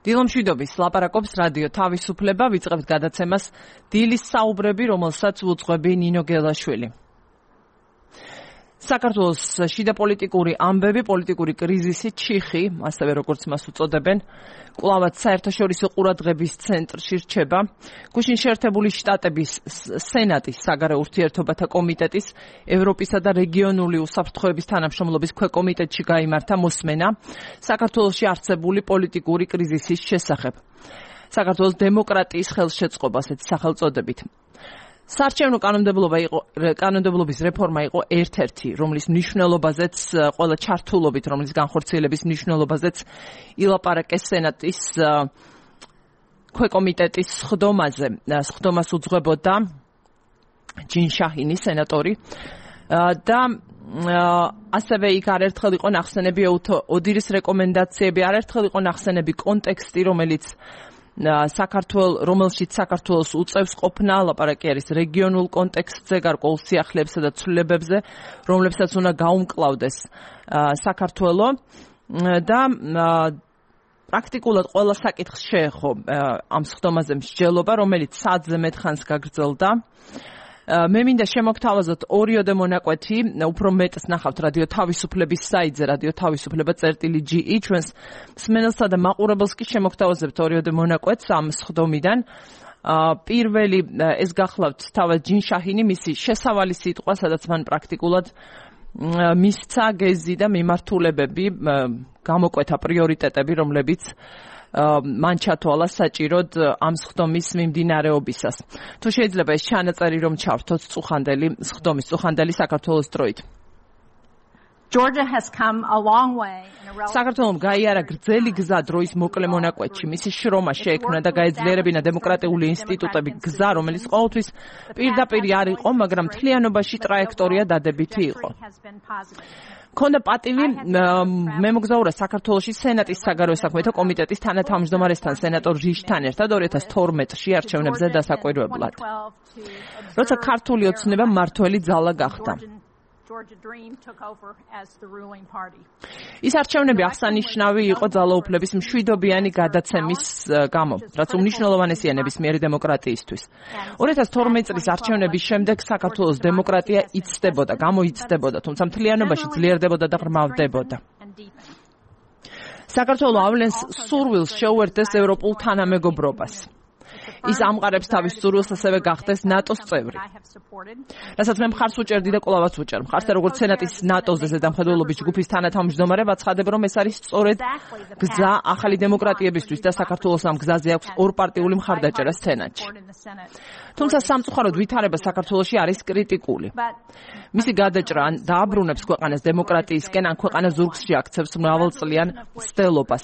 დილომშვიდობის ლაპარაკობს რადიო თავისუფლება, ვიწყებთ გადაცემას დილის საუბრები, რომელსაც უძღვები ნინო გელაშვილი. საქართველოს შიდა პოლიტიკური ამბები, პოლიტიკური კრიზისი, ჩიხი, ასევე როგორც მას უწოდებენ, კვლავაც საერთაშორისო ყურადღების ცენტრში რჩება. გუშინ შეერთებული შტატების სენატის საგარეო ურთიერთობათა კომიტეტის ევროპისა და რეგიონული უსაფრთხოების თანამშრომლობის ქვეკომიტეტში გაიმართა მოსმენა საქართველოში არსებული პოლიტიკური კრიზისის შესახებ. საქართველოს დემოკრატიის ხელშეწყობასაც სახელწოდებით. საარჩევნო კანონმდებლობის რეფორმა იყო ერთ-ერთი, რომლის მნიშვნელობაზეც ყველა ჩართულობით, რომლის განხორციელების მნიშვნელობაზეც ილაპარაკეს სენატის ქვეკომიტეტის სხდომაზე. სხდომას უძღვებოდა ჯინ შაჰინი, სენატორი და ასევე იქ არაერთხელ იყო ნახსენები ოდირის რეკომენდაციები, არაერთხელ იყო ნახსენები კონტექსტი, რომელშიც საქართველოს უწევს ყოფნა, ლაპარაკი არის რეგიონულ კონტექსტზე, გარკვეულ სიახლეებსა და ცვლილებებზე, რომლებსაც უნდა გაუმკლავდეს საქართველო და პრაქტიკულად ყველა საკითხს შეეხო ამ სხდომაზე მსჯელობა, რომელიც საათზე მეტ ხანს გაგრძელდა. მე მინდა შემოგთავაზოთ ორიოდე მონაკვეთი, უფრო მეტს ნახავთ რადიო თავისუფლების საიტზე, რადიო თავისუფლება.ge, ჩვენს მსმენელსა და მაყურებელს კი შემოგთავაზებთ ორიოდე მონაკვეთს ამ სხდომიდან. პირველი ეს გახლავთ თავად ჯინ შაჰინი, მისი შესავალი სიტყვა, სადაც მან პრაქტიკულად მისცა გეზი და მიმართულებები, გამოკვეთა პრიორიტეტები, რომლებიც მან ჩათვალა საჭიროდ ამ სხდომის მიმდინარეობისას. თუ შეიძლება ეს ჩანაწერი რომ ჩავრთოთ სხდომის წუხანდელი საქართველოს დროით. საქართველომ გაიარა გრძელი გზა დროის მოკლე მონაკვეთში. მისი შრომა შეექმნა და გაეძლიერებინა დემოკრატიული ინსტიტუტები, გზა, რომელიც ყოველთვის პირდაპირ არ იყო, მაგრამ მთლიანობაში ტრაექტორია დადებითი იყო. ქონდა პატივი მემოგზაურა საქართველოში სენატის საგარეო საქმეთა კომიტეტის თანათავმჯდომარესთან, სენატორ ჟიშთან ერთად 2012-ში არჩევნებზე დასაკვირვებლად. როცა ქართული ოცნება მმართველი ძალა გახდა. ის არჩევნები აღსანიშნავი იყო ძალაუფლების მშვიდობიანი გადაცემის გამო, რაც უმნიშვნელოვანესია ნებისმიერი დემოკრატიისთვის. 2012 წლის არჩევნების შემდეგ საქართველოს დემოკრატია იცდებოდა, გამოიცდებოდა, თუმცა მთლიანობაში ძლიერდებოდა და ღრმავდებოდა. საქართველო ავლენს სურვილს შეუერთდეს ევროპულ თანამეგობრობას. ის ამყარებს თავის სურვილს ასევე გახდეს ნატოს წევრი. რასაც მე მხარს უჭერდი და კვლავაც უჭერ. მხარს როგორც სენატის ნატოზე ზედამხედველობის ჯგუფის თანათავმჯდომარე ვაცხადებ, რომ ეს არის სწორედ გზა ახალი დემოკრატიებისთვის და საქართველოს ამ გზაზე აქვს ორპარტიული მხარდაჭერა სენატში. თუმცა სამწუხაროდ ვითარება საქართველოში არის კრიტიკული. მისი გადაჭრა დააბრუნებს ქვეყანას დემოკრატიისკენ, ან ქვეყანა ზურგსში აქცევს მრავალწლიან მცდელობას.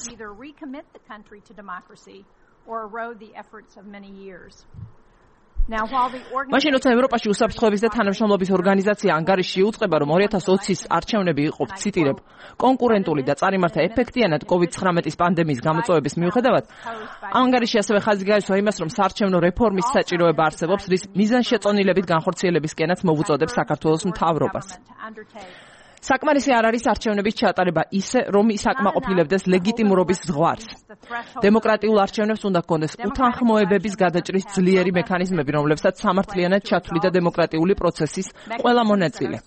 მაშინ როცა ევროპაში უსაფრთხოების და თანამშრომლობის ორგანიზაცია ანგარიში იუწყება, რომ 2020-ის არჩევნები იყო, ციტირებ, კონკურენტული და წარიმართა ეფექტიანად COVID-19 პანდემიის გამოწვევების მიუხედავად, ანგარიში ასევე ხაზი გაისვა იმას, რომ საარჩევნო რეფორმის საჭიროება არსებობს, რის მიზანშეწონილებით განხორციელებისკენაც მოუწოდებს საქართველოს მთავრობას. საკმარისი არ არის არჩევნების ჩატარება ისე, რომ ის აკმაყოფილებდეს ლეგიტიმურობის ზღვარს. დემოკრატიულ არჩევნებს უნდა ჰქონდეს უთანხმოებების გადაჭრის ძლიერი მექანიზმები, რომლებსაც სამართლიანად ჩათვლიდა დემოკრატიული პროცესის ყველა მონაწილე.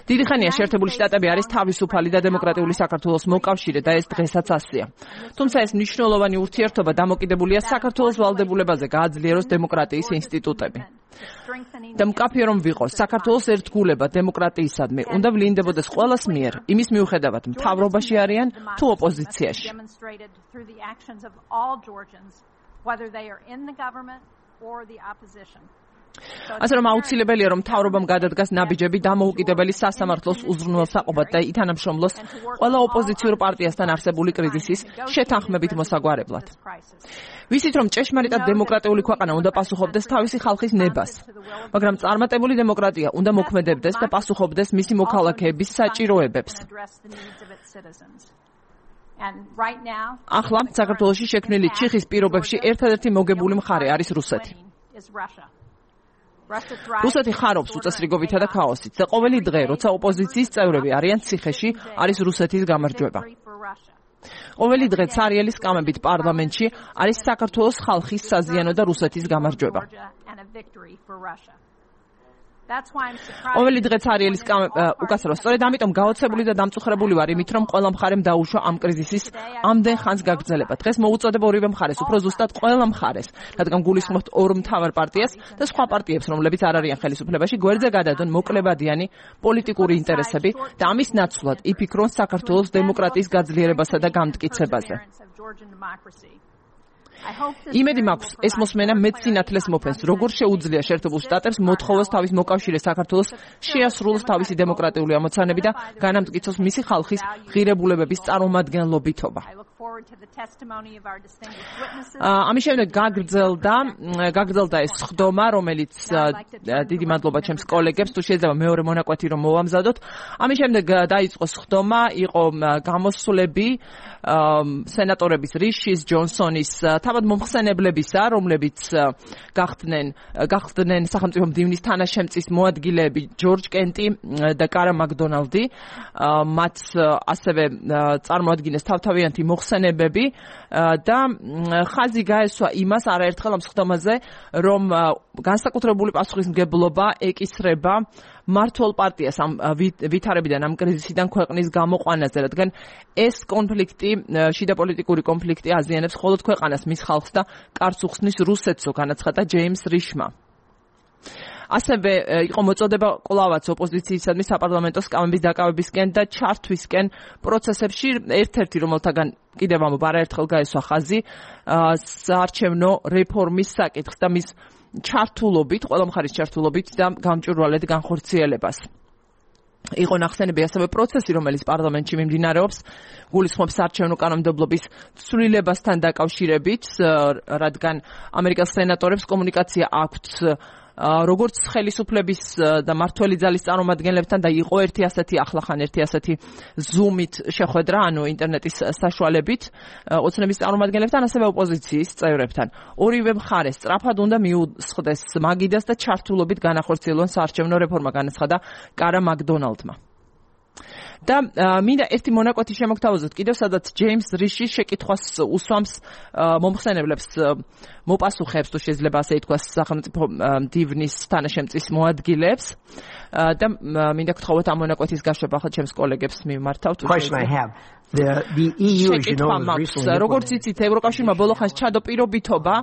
დიდი ხანია შეერთებული შტატები არის თავისუფალი და დემოკრატიული საქართველოს მოკავშირე და ეს დღესაც ასეა. თუმცა ეს მნიშვნელოვანი ურთიერთობა დამოკიდებულია საქართველოს ვალდებულებაზე გააძლიეროს დემოკრატიის ინსტიტუტები. და მკაფიო რომ ვიყოს, საქართველოს ერთგულება დემოკრატიისადმი უნდა ვლინდებოდეს ყველას მიერ, იმის მიუხედავად მთავრობაში არიან თუ ოპოზიციაში. ასე რომ აუცილებელია, რომ მთავრობამ გადადგას ნაბიჯები დამოუკიდებელი სასამართლოს უზრუნველსაყოფად და ითანამშრომლოს ყველა ოპოზიციურ პარტიასთან არსებული კრიზისის შეთანხმებით მოსაგვარებლად. ვიცით, რომ ჭეშმარიტად დემოკრატიული ქვეყანა უნდა პასუხობდეს თავისი ხალხის ნებას, მაგრამ წარმატებული დემოკრატია უნდა მოქმედებდეს და პასუხობდეს მისი მოქალაქეების საჭიროებებს. ახლა საქართველოში შექმნილი ჩიხის პირობებში ერთადერთი მოგებული მხარე არის რუსეთი. რუსეთი ხარობს უწესრიგობითა და ქაოსით და ყოველი დღე, როცა ოპოზიციის წევრები არიან ციხეში, არის რუსეთის გამარჯვება. ყოველი დღე ცარიელი სკამებით პარლამენტში არის საქართველოს ხალხის საზიანო და რუსეთის გამარჯვება. ყოველი დღე ცარიელი უკაცრავ, სწორედ ამიტომ გაოცებული და დამწუხრებული ვარ იმით, რომ ყველა მხარემ დაუშვა ამ კრიზისის ამდენ ხანს გაგრძელება. დღეს მოუწოდება ორივე მხარეს, უფრო ზუსტად ყველა მხარეს, რადგან გულისხმობთ ორ მთავარ პარტიას და სხვა პარტიებს, რომლებიც არ არიან ხელისუფლებაში, გვერდზე გადადონ მოკლებადიანი პოლიტიკური ინტერესები და ამის ნაცვლად იფიქრონ საქართველოს დემოკრატიის გაძლიერებასა და გამტკიცებაზე. იმედი მაქვს, ეს მოსმენა მეც სინათლეს მოფენს, როგორ შეუძლია შეერთებულ შტატებს მოთხოვოს თავის მოკავშირე საქართველოს შეასრულოს თავისი დემოკრატიული ამოცანები და განამტკიცოს მისი ხალხის ღირებულებების წარმომადგენლობითობა. ამის შემდეგ გაგრძელდა ეს სხდომა, რომელიც დიდი მადლობა ჩემს კოლეგებს, თუ შეიძლება მეორე მონაკვეთი რომ მოვამზადოთ. ამის შემდეგ დაიწყო სხდომა, იყო გამოსვლები სენატორების რიშის, ჯონსონის, თავად მომხსენებლებისა, რომლებიც გახდნენ სახელმწიფო მდივნის თანაშემწის მოადგილეები ჯორჯ კენტი და კარა მაკდონალდი, მათ ასევე წარმოადგენს თავთავიანთი მოხსენებები და ხაზი გაესვა იმას არაერთხელ ამ სხდომაზე, რომ განსაკუთრებული პასუხისმგებლობა ეკისრება მართლ პარტიას ამ ვითარებიდან, ამ კრიზისიდან ქვეყნის გამოყვანაზე, რადგან ეს კონფლიქტი, შიდა პოლიტიკური კონფლიქტი აზიანებს მხოლოდ ქვეყანას, მის ხალხს და კარს უხსნის რუსეთსო, განაცხადა ჯეიმს რიშმა. ასევე იყო მოწოდება კვლავაც ოპოზიციისადმი საპარლამენტო სკამების დაკავებისკენ და ჩართვისკენ პროცესებში, ერთ-ერთი რომელთაგან კიდევ ამბობ არაერთხელ გაესვა ხაზი საარჩევნო რეფორმის საკითხს და მის ჩართულობით, ყველა მხარის ჩართულობით და გამჭვირვალედ განხორციელებას. იყო ნახსენები ასევე პროცესი, რომელიც პარლამენტში მიმდინარეობს, გულისხმობს საარჩევნო კანონმდებლობის ცვლილებასთან დაკავშირებით, რადგან ამერიკას სენატორებს კომუნიკაცია აქვთ როგორც ხელისუფლების და მართველი ძალის წარმომადგენლებთან და იყო ერთი ასეთი ახლახან ერთი ასეთი ზუმით შეხვედრა, ანუ ინტერნეტის საშუალებით ოცნების წარმომადგენლებთან, ასევე ოპოზიციის წევრებთან. ორივე მხარე სწრაფად უნდა მიუსხდეს მაგიდას და ჩართულობით განახორციელონ საარჩევნო რეფორმა, განაცხადა კარა მაკდონალდმა. და მინდა ერთი მონაკვეთი შემოგთავაზოთ კიდევ, სადაც ჯეიმს რიში შეკითხვას უსვამს მომხსენებლებს, მოპასუხებს, თუ შეიძლება ასე ითქვას, სახელმწიფო მდივნის თანაშემწის მოადგილეებს და მინდა გთხოვოთ ამ მონაკვეთის გაშვება ახლა ჩემს კოლეგებს მიმართავთ. The EU, as you know, როგორც იცით, ევროკავშირმა ბოლო ხანს ჩადო პირობითობა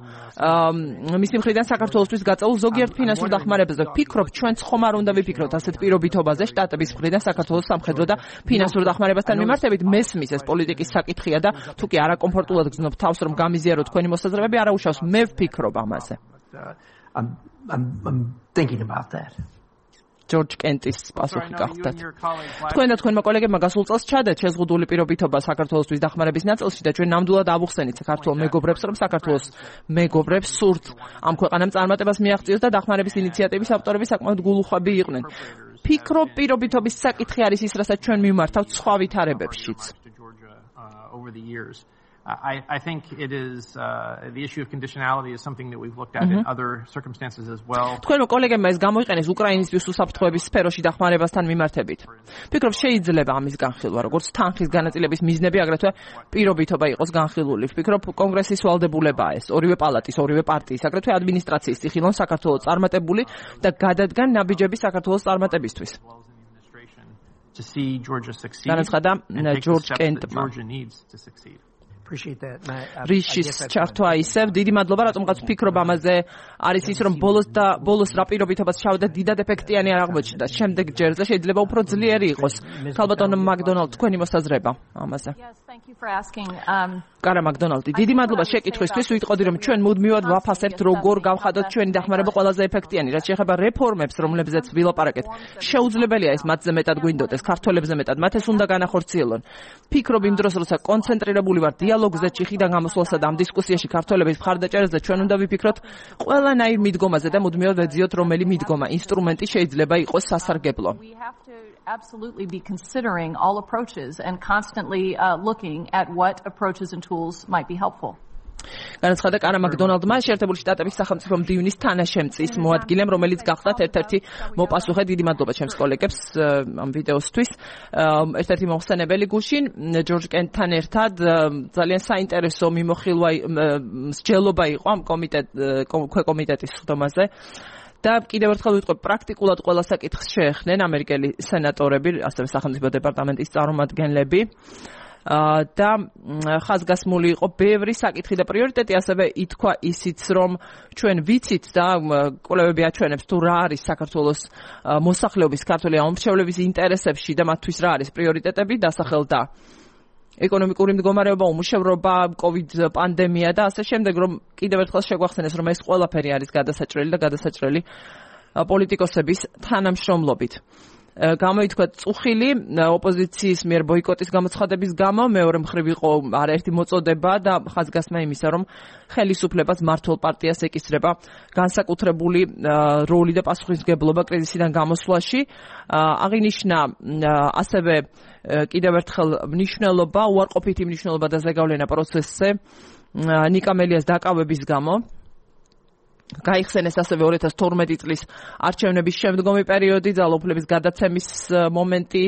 მისი მხრიდან საქართველოსთვის გაწეულ ზოგიერთ ფინანსურ დახმარებაზე. ვფიქრობ, ჩვენც ხომ არ უნდა ვიფიქროთ ასეთ პირობითობაზე შტატების მხრიდან საქართველოს სამხედრო და ფინანსურ დახმარებასთან მიმართებით. მესმის ეს პოლიტიკის საკითხია და თუ კი არაკომფორტულად გრძნობ თავს, რომ გამიზიაროთ თქვენი მოსაზრებები, არა უშავს. მე ვფიქრობ ამაზე. I'm thinking about that. ჯორჯ კენტის პასუხი გახდათ. თქვენ და თქვენმა კოლეგებმა გასულ წელს ჩადეთ შეზღუდული პირობითობა საქართველოსთვის დახმარების ნაწილში და ჩვენ ნამდვილად ავუხსენით საქართველოს მეგობრებს, რომ საქართველოს მეგობრებს სურთ ამ ქვეყანამ წარმატებას მიაღწიოს და დახმარების ინიციატივის ავტორები საკმაოდ გულუხვები იყვნენ. ფიქრობ, პირობითობის საკითხი არის ის, რასაც ჩვენ მიმართავთ სხვა ვითარებებშიც. I think it is the issue of conditionality is something that we've looked at in other circumstances as well. თქვენმა კოლეგებმა ეს გამოიყენეს უკრაინისთვის უსაფრთხოების სფეროში დახმარებასთან მიმართებით. ფიქრობ, შეიძლება ამის განხილვა, როგორც თანხის განაწილების მიზნები, აგრეთვე პირობითობა იყოს განხილული. ვფიქრობ, კონგრესის ვალდებულებაა ეს, ორივე პალატის, ორივე პარტიის, აგრეთვე ადმინისტრაციის წიხილონ საქართველოს წარმატებული და გადადგან ნაბიჯები საქართველოს წარმატებისთვის. To see Georgia succeed. განაცხადა ჯორჯ კენტმა. რიშის ჩართვა ისევ დიდი მადლობა, რატომღაც ვფიქრობ ამაზე არის ის, რომ ბოლოს რა პირობითობაც ჩავდა დიდად ეფექტიანი არ აღმოჩნდა. შემდეგ ჯერზე შეიძლება უფრო ძლიერი იყოს. ქალბატონო მაკდონალდ, თქვენი მოსაზრება ამაზე. კარა მაკდონალდი, დიდი მადლობა შეკითხვისთვის. ვიტყოდი, რომ ჩვენ მუდმივად ვაფასებთ, როგორ გავხადოთ ჩვენი დახმარება ყველაზე ეფექტიანი. რაც შეეხება რეფორმებს, რომლებზეც ვილაპარაკეთ, შეუძლებელია ეს მათზე მეტად გვინდოდეს, ქართველებზე მეტად. მათ ეს უნდა განახორციელონ. ფიქრობ იმ დროს, როცა კონცენტრირებული ვარ დიალოგზე, ჭიხიდან გამოსვლასა და ამ დისკუსიაში ქართველების მხარდაჭერაზე, ჩვენ უნდა ვიფიქროთ ყველანაირ მიდგომაზე და მუდმივად ვეძიოთ, რომელი მიდგომა, ინსტრუმენტი შეიძლება იყოს სასარგებლო. Absolutely be considering all approaches and constantly looking at what approaches and tools might be helpful. განაცხადა კარა მაკდონალდმა შეერთებული შტატების სახელმწიფო მდივნის თანაშემწის მოადგილემ, რომელიც გახდათ ერთ-ერთი მოპასუხე. დიდი მადლობა ჩემს კოლეგებს ამ ვიდეოსთვის. ერთ-ერთი მოხსენებელი გუშინ ჯორჯ კენტთან ერთად ძალიან საინტერესო მსჯელობა იყო ამ ქვეკომიტეტის სხდომაზე. და კიდევ ერთხელ ვიტყვი, პრაქტიკულად ყველა საკითხს შეეხნენ ამერიკელი სენატორები, ასევე სახელმწიფო დეპარტამენტის წარმომადგენლები. და ხაზგასმული იყო ბევრი საკითხი და პრიორიტეტი, ასევე ითქვა ისიც, რომ ჩვენ ვიცით და კვლევები აჩვენებს თუ რა არის საქართველოს მოსახლეობის ქართველი ამომრჩევლების ინტერესებში და მათთვის რა არის პრიორიტეტები დასახელდა ეკონომიკური მდგომარეობა, უმუშევრობა, COVID პანდემია და ასე შემდეგ, რომ კიდევ ერთხელ შეგვახსენეს, რომ ეს ყველაფერი არის გადასაჭრელი და გადასაჭრელი პოლიტიკოსების თანამშრომლობით. გამოითქვა წუხილი ოპოზიციის მიერ ბოიკოტის გამოცხადების გამო, მეორე მხრივ იყო არაერთი მოწოდება და ხაზგასმა იმისა, რომ ხელისუფლებას მართლ პარტიას ეკისრება განსაკუთრებული როლი და პასუხისმგებლობა კრიზისიდან გამოსვლაში. აღინიშნა ასევე კიდევ ერთხელ მნიშვნელობა, უარყოფითი მნიშვნელობა და ზეგავლენა პროცესზე ნიკა მელიას დაკავების გამო. გაიხსენეს ასევე 2012 წლის არჩევნების შემდგომი პერიოდი, ძალაუფლების გადაცემის მომენტი,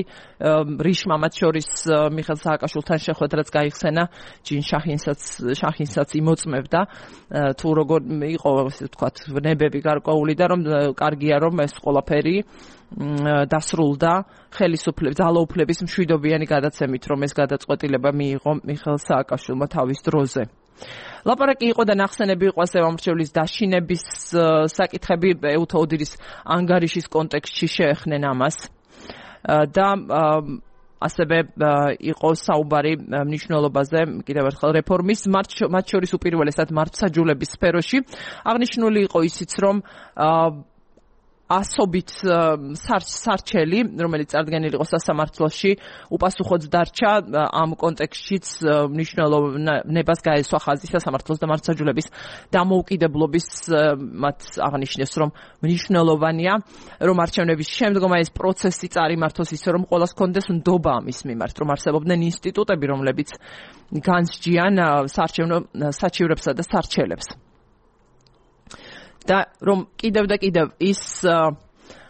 რიშმა მათ შორის მიხეილ სააკაშვილთან შეხვედრაც გაიხსენა, ჯინ შახინსაც იმოწმებდა, თუ როგორ იყო, ასე ვთქვათ, ნებები გარკვეული და რომ კარგია, რომ ეს ყველაფერი დასრულდა ძალაუფლების მშვიდობიანი გადაცემით, რომ ეს გადაწყვეტილება მიიღო მიხეილ სააკაშვილმა თავის დროზე. ლაპარაკი იყო და ნახსენები იყო ასევე ამრჩევლის დაშინების საკითხები ეუთო ოდირის ანგარიშის კონტექსტში შეეხნენ ამას და ასევე იყო საუბარი მნიშვნელობაზე კიდევ ერთხელ რეფორმის მათ შორის უპირველესად მართლმსაჯულების სფეროში. აღნიშნული იყო ისიც, რომ ასობით სარჩელი, რომელიც წარდგენილი იყო სასამართლოში, უპასუხოდ დარჩა. ამ კონტექსტშიც მნიშვნელოვნებას გაესვა ხაზი სასამართლოს და მართლმსაჯულების დამოუკიდებლობის. მათ აღნიშნეს, რომ მნიშვნელოვანია, რომ არჩევნების შემდგომ ეს პროცესი წარიმართოს ისე, რომ ყველას ჰქონდეს ნდობა ამის მიმართ, რომ არსებობდნენ ინსტიტუტები, რომლებიც განსჯიან საარჩევნო საჩივრებსა და სარჩელებს. და რომ კიდევ ის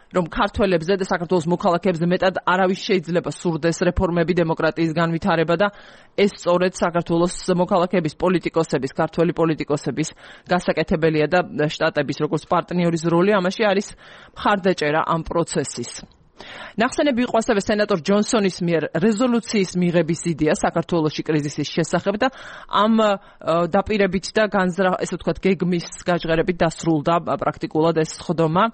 რომ ქართველებზე და საქართველოს მოქალაქეებზე მეტად არავის შეიძლება სურდეს რეფორმები, დემოკრატიის განვითარება და ეს სწორედ საქართველოს მოქალაქეების, პოლიტიკოსების, ქართველი პოლიტიკოსების გასაკეთებელია და შტატების როგორც პარტნიორის როლი ამაში არის მხარდაჭერა ამ პროცესის. ნახსენები იყო ასევე სენატორ ჯონსონის მიერ რეზოლუციის მიღების იდეა საქართველოში კრიზისის შესახებ და ამ დაპირებით და ესე ვთქვათ გეგმის გაჟღერებით დასრულდა პრაქტიკულად ეს სხდომა,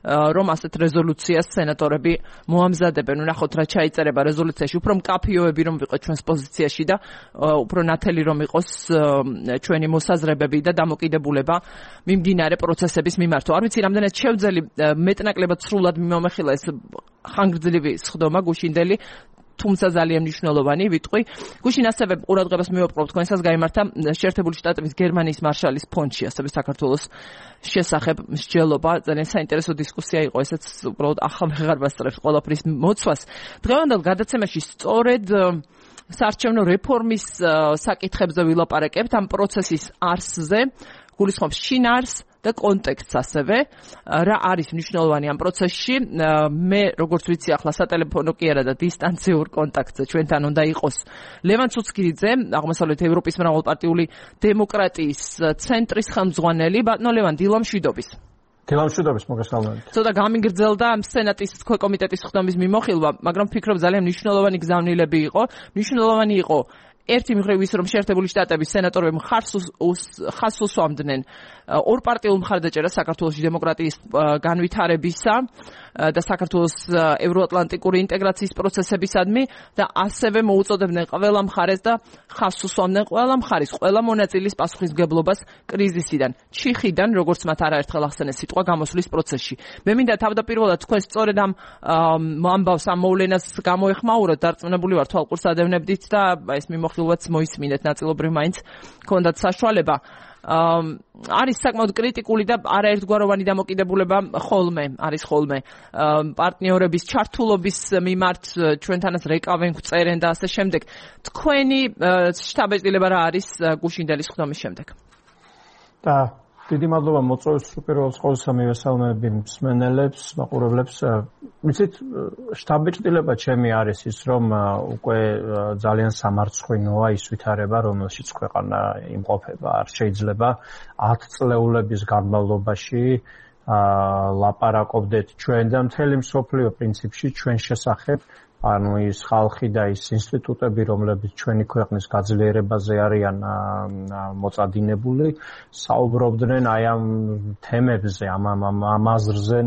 რომ ასეთ რეზოლუციას სენატორები მოამზადებენ. ნახოთ რა ჩაიწერება რეზოლუციაში, უფრო მკაფიოები რომ ვიყოთ ჩვენს პოზიციაში და უფრო ნათელი რომ იყოს ჩვენი მოსაზრებები და დამოკიდებულება მიმდინარე პროცესების მიმართ. არ ვიცი რამდენად შევძელი მეტნაკლებად სრულად მიმომეხილა ეს ხანგრძლივი სხდომა გუშინდელი, თუმცა ძალიან მნიშვნელოვანი ვიტყვი. გუშინ ასევე ყურადღებას მივაპყრობ თქვენსაც გაიმართა შეერთებული შტატების გერმანიის მარშალის ფონდში, ასევე საქართველოს შესახებ მსჯელობა. ძალიან საინტერესო დისკუსია იყო, ესეც უბრალოდ ახალ ვეღარ ვასწრებს ყველაფრის მოცვას. დღევანდელ გადაცემაში სწორედ საარჩევნო რეფორმის საკითხებზე ვილაპარაკებთ, ამ პროცესის არსზე, გულისხმობს შინაარსს და კონტექსტს ასევე, რა არის მნიშვნელოვანი ამ პროცესში. მე როგორც ვიცი, ახლა სატელეფონო კი არა და დისტანციურ კონტაქტზე ჩვენთან უნდა იყოს ლევან ცუცქირიძე, აღმოსავლეთ ევროპის მრავალპარტიული დემოკრატიის ცენტრის ხელმძღვანელი. ბატონო ლევან, დილამშვიდობის. დილამშვიდობის, მოგესალმებით. ცოტა გამიგრძელდა სენატის ქვეკომიტეტის სხდომის მიმოხილვა, მაგრამ ვფიქრობ ძალიან მნიშვნელოვანი გზავნილები იყო. მნიშვნელოვანი იყო ერთი მხრივ ის, რომ შეერთებული შტატების სენატორები ხაზს უსვამდნენ ორპარტიულ მხარდაჭერას საქართველოს დემოკრატიის განვითარებისა და საქართველოს ევროატლანტიკური ინტეგრაციის პროცესებისადმი და ასევე მოუწოდებდნენ ყველა მხარეს და ხაზს უსვამდნენ ყველა მხარის, ყველა მონაწილის პასუხისმგებლობას კრიზისიდან, ჩიხიდან, როგორც მათ არაერთხელ ახსენეს სიტყვა გამოსვლის პროცესში. მე მინდა თავდაპირველად თქვენ სწორედ ამ ამბავს, ამ მოვლენას გამოეხმაუროთ, დარწმუნებული ვარ თვალყურს ადევნებდით და ეს მიმოხილვაც მოისმინეთ ნაწილობრივ მაინც ქონდათ საშუალება. არის საკმაოდ კრიტიკული და არაერთგვაროვანი დამოკიდებულება არის ხოლმე პარტნიორების ჩართულობის მიმართ, ჩვენთანაც რეკავენ, წერენ და ასე შემდეგ. თქვენი შთაბეჭდილება რა არის გუშინდელის ხდომის შემდეგ? და დიდი მადლობა მოწვევის უპირველეს ყოვლისა მივესალმები მსმენელებს, მაყურებლებს. ვიცით, შთაბეჭდილება ჩემი არის ის, რომ უკვე ძალიან სამარცხვინოა ის ვითარება, რომელშიც ქვეყანა იმყოფება. არ შეიძლება 10 წლეულების განმავლობაში ლაპარაკობდეთ ჩვენ და მთელი მსოფლიო პრინციპში ჩვენ შესახებ, ანუ ის ხალხი და ის ინსტიტუტები, რომლებიც ჩვენი ქვეყნის გაძლიერებაზე არიან მოწადინებული, საუბრობდნენ აი ამ თემებზე, ამ აზრზე,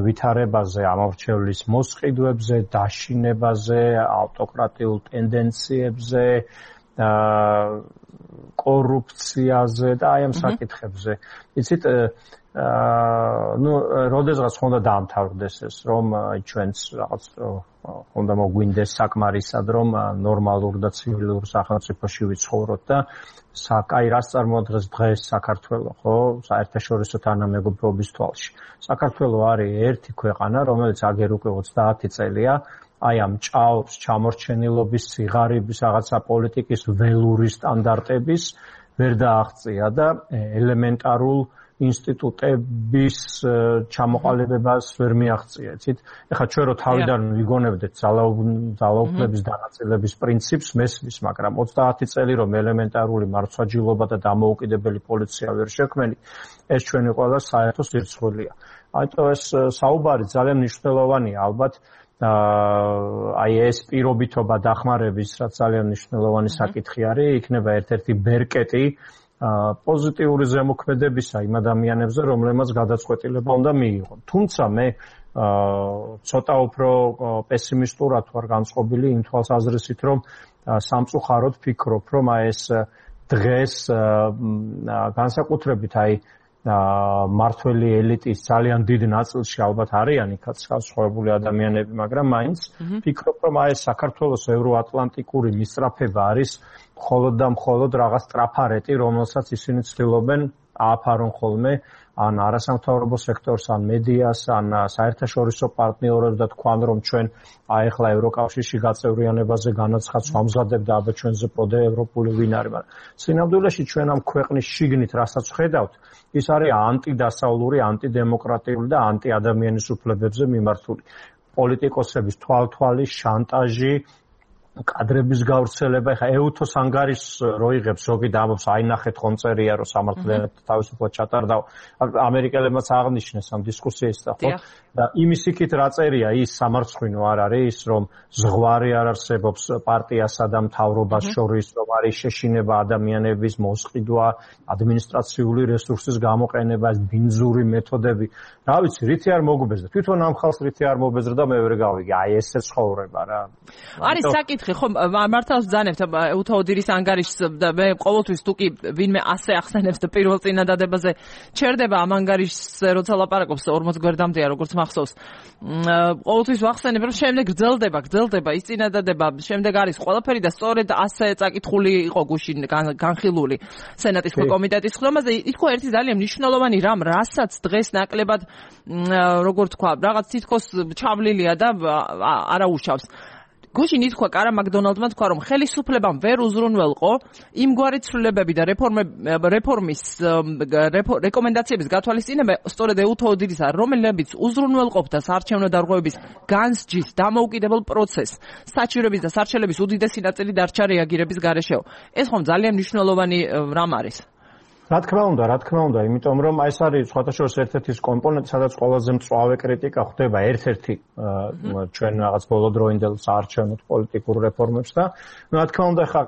ვითარებაზე, ამორჩევლის მოსყიდვებზე, დაშინებაზე, ავტოკრატიულ ტენდენციებზე, კორუფციაზე და აი ამ საკითხებზე. იცით, როდესაც ხონდა დაამთავრდეს ეს, რომ ჩვენც რაღაც ხონდა მოგვინდეს საკმარისად, რომ ნორმალურ და ცივილურ სახელმწიფოში ვიცხოვროთ და აი რას წარმოადგენს დღეს საქართველო, ხო? საერთაშორისო თანამეგობრობის თვალში. საქართველო არის ერთი ქვეყანა, რომელიც აგერ უკვე 30 წელია აი ამ ჭაობს, ჩამორჩენილობის, სიღარიბის, რაღაცა პოლიტიკის ველური სტანდარტების ვერ დააღწია და ელემენტარულ ინსტიტუტების ჩამოყალიბებას ვერ მიაღწია. იცით, ეხლა ჩვენ რო თავიდან ვიგონებდეთ ძალაუფლების დანაწილების პრინციპს, მესმის, მაგრამ 30 წელი რომ ელემენტარული მარცვაჯილობა და დამოუკიდებელი პოლიცია ვერ შექმნით, ეს ჩვენი ყველა საერთო სირცხვილია. ამიტომ ეს საუბარი ძალიან მნიშვნელოვანია, ალბათ აი ეს პირობითობა დახმარების, რაც ძალიან მნიშვნელოვანი საკითხი არის, იქნება ერთ-ერთი ბერკეტი პოზიტიური ზემოქმედებისა იმ ადამიანებზე, რომლებმაც გადაწყვეტილება უნდა მიიღონ. თუმცა მე ცოტა უფრო პესიმისტურად ვარ განწყობილი იმ თვალსაზრისით, რომ სამწუხაროდ ფიქრობ, რომ აი ეს დღეს განსაკუთრებით აი მართველი ელიტის ძალიან დიდ ნაწილში ალბათ არიან იქაც განსხვავებული ადამიანები, მაგრამ მაინც ფიქრობ, რომ აი საქართველოს ევროატლანტიკური მისწრაფება არის მხოლოდ და მხოლოდ რაღაც ტრაფარეტი, რომელსაც ისინი ცდილობენ ააფარონ ხოლმე ან არასამთავრობო სექტორს, ან მედიას, ან საერთაშორისო პარტნიორებს და თქვან, რომ ჩვენ აი ახლა ევროკავშირში გაწევრიანებაზე განაცხადს ვამზადებ და აბა ჩვენზე პოდე ევროპული ვინ არის, მაგრამ სინამდვილეში ჩვენ ამ ქვეყნის შიგნით რასაც ხედავთ, ის არის ანტიდასავლური, ანტიდემოკრატიული და ანტიადამიანის უფლებებზე მიმართული პოლიტიკოსების თვალთვალი, შანტაჟი, კადრების გავრცელება. ეხა ეუთოს ანგარიშს რო იღებს, ზოგი დამობს, აი ნახეთ ხომ წერია, რომ სამართლიანად თავისუფლად ჩატარდა. ამერიკელებმაც აღნიშნეს ამ დისკუსიას და ხო? და იმის იქით რა წერია, ის სამარცხვინო არ არის ის, რომ ზღვარი არ არსებობს პარტიასა და მთავრობას შორის, რომ არის შეშინება ადამიანების მოსყიდვა, ადმინისტრაციული რესურსის გამოყენება, ბინძური მეთოდები. რა ვიცი, რითი არ მოგბეზრდა. თვითონ ამ ხალხს რითი არ მოგბეზრდა და მე ვერ გავიგე. აი ესე ცხოვრება რა. არის საკითხი, ხო, მართავს ბძანებთ ეუთა ოდირის ანგარიშს და მე ყოველთვის თუ კი ვინმე ასე ახსენებს და პირველ წინადადებაზე ჩერდება ამ ანგარიშს, როცა ლაპარაკობს 40 გვერდამდეა, როგორც მახსოვს. ყოველთვის ვახსენებ, რომ შემდეგ გრძელდება ის წინადადება, შემდეგ არის ყველაფერი და სწორედ ასე წაკითხული იყო გუშინ განხილული სენატის კომიტეტის ხდომაზე. იქ ერთი ძალიან მნიშვნელოვანი რამ, რასაც დღეს ნაკლებად როგორ თქვა, რაღაც თითქოს ჩავლილია და არაუშავს. გუშინ ითქვა კარა მაკდონალდმა თქვა, რომ ხელისუფლებამ ვერ უზრუნველყო იმგვარი ცვლილებები და რეფორმის რეკომენდაციების გათვალისწინება სწორედ ეუთა ოდირისა, რომლებიც უზრუნველყოფდა საარჩევნო დარღვევების განსჯის დამოუკიდებელ პროცესს, საჩივრების და სარჩელების უდიდესი ნაწილი დარჩა რეაგირების გარეშეო. ეს ხომ ძალიან მნიშვნელოვანი რამ არის. რა თქმა უნდა, იმიტომ რომ აი ეს არის სხვათა შორის ერთ-ერთი კომპონენტი, სადაც ყველაზე მწვავე კრიტიკა ხდება ერთ-ერთი ჩვენ რაღაც ბოლოდროინდელ საარჩევნო პოლიტიკურ რეფორმებს და რა თქმა უნდა ხა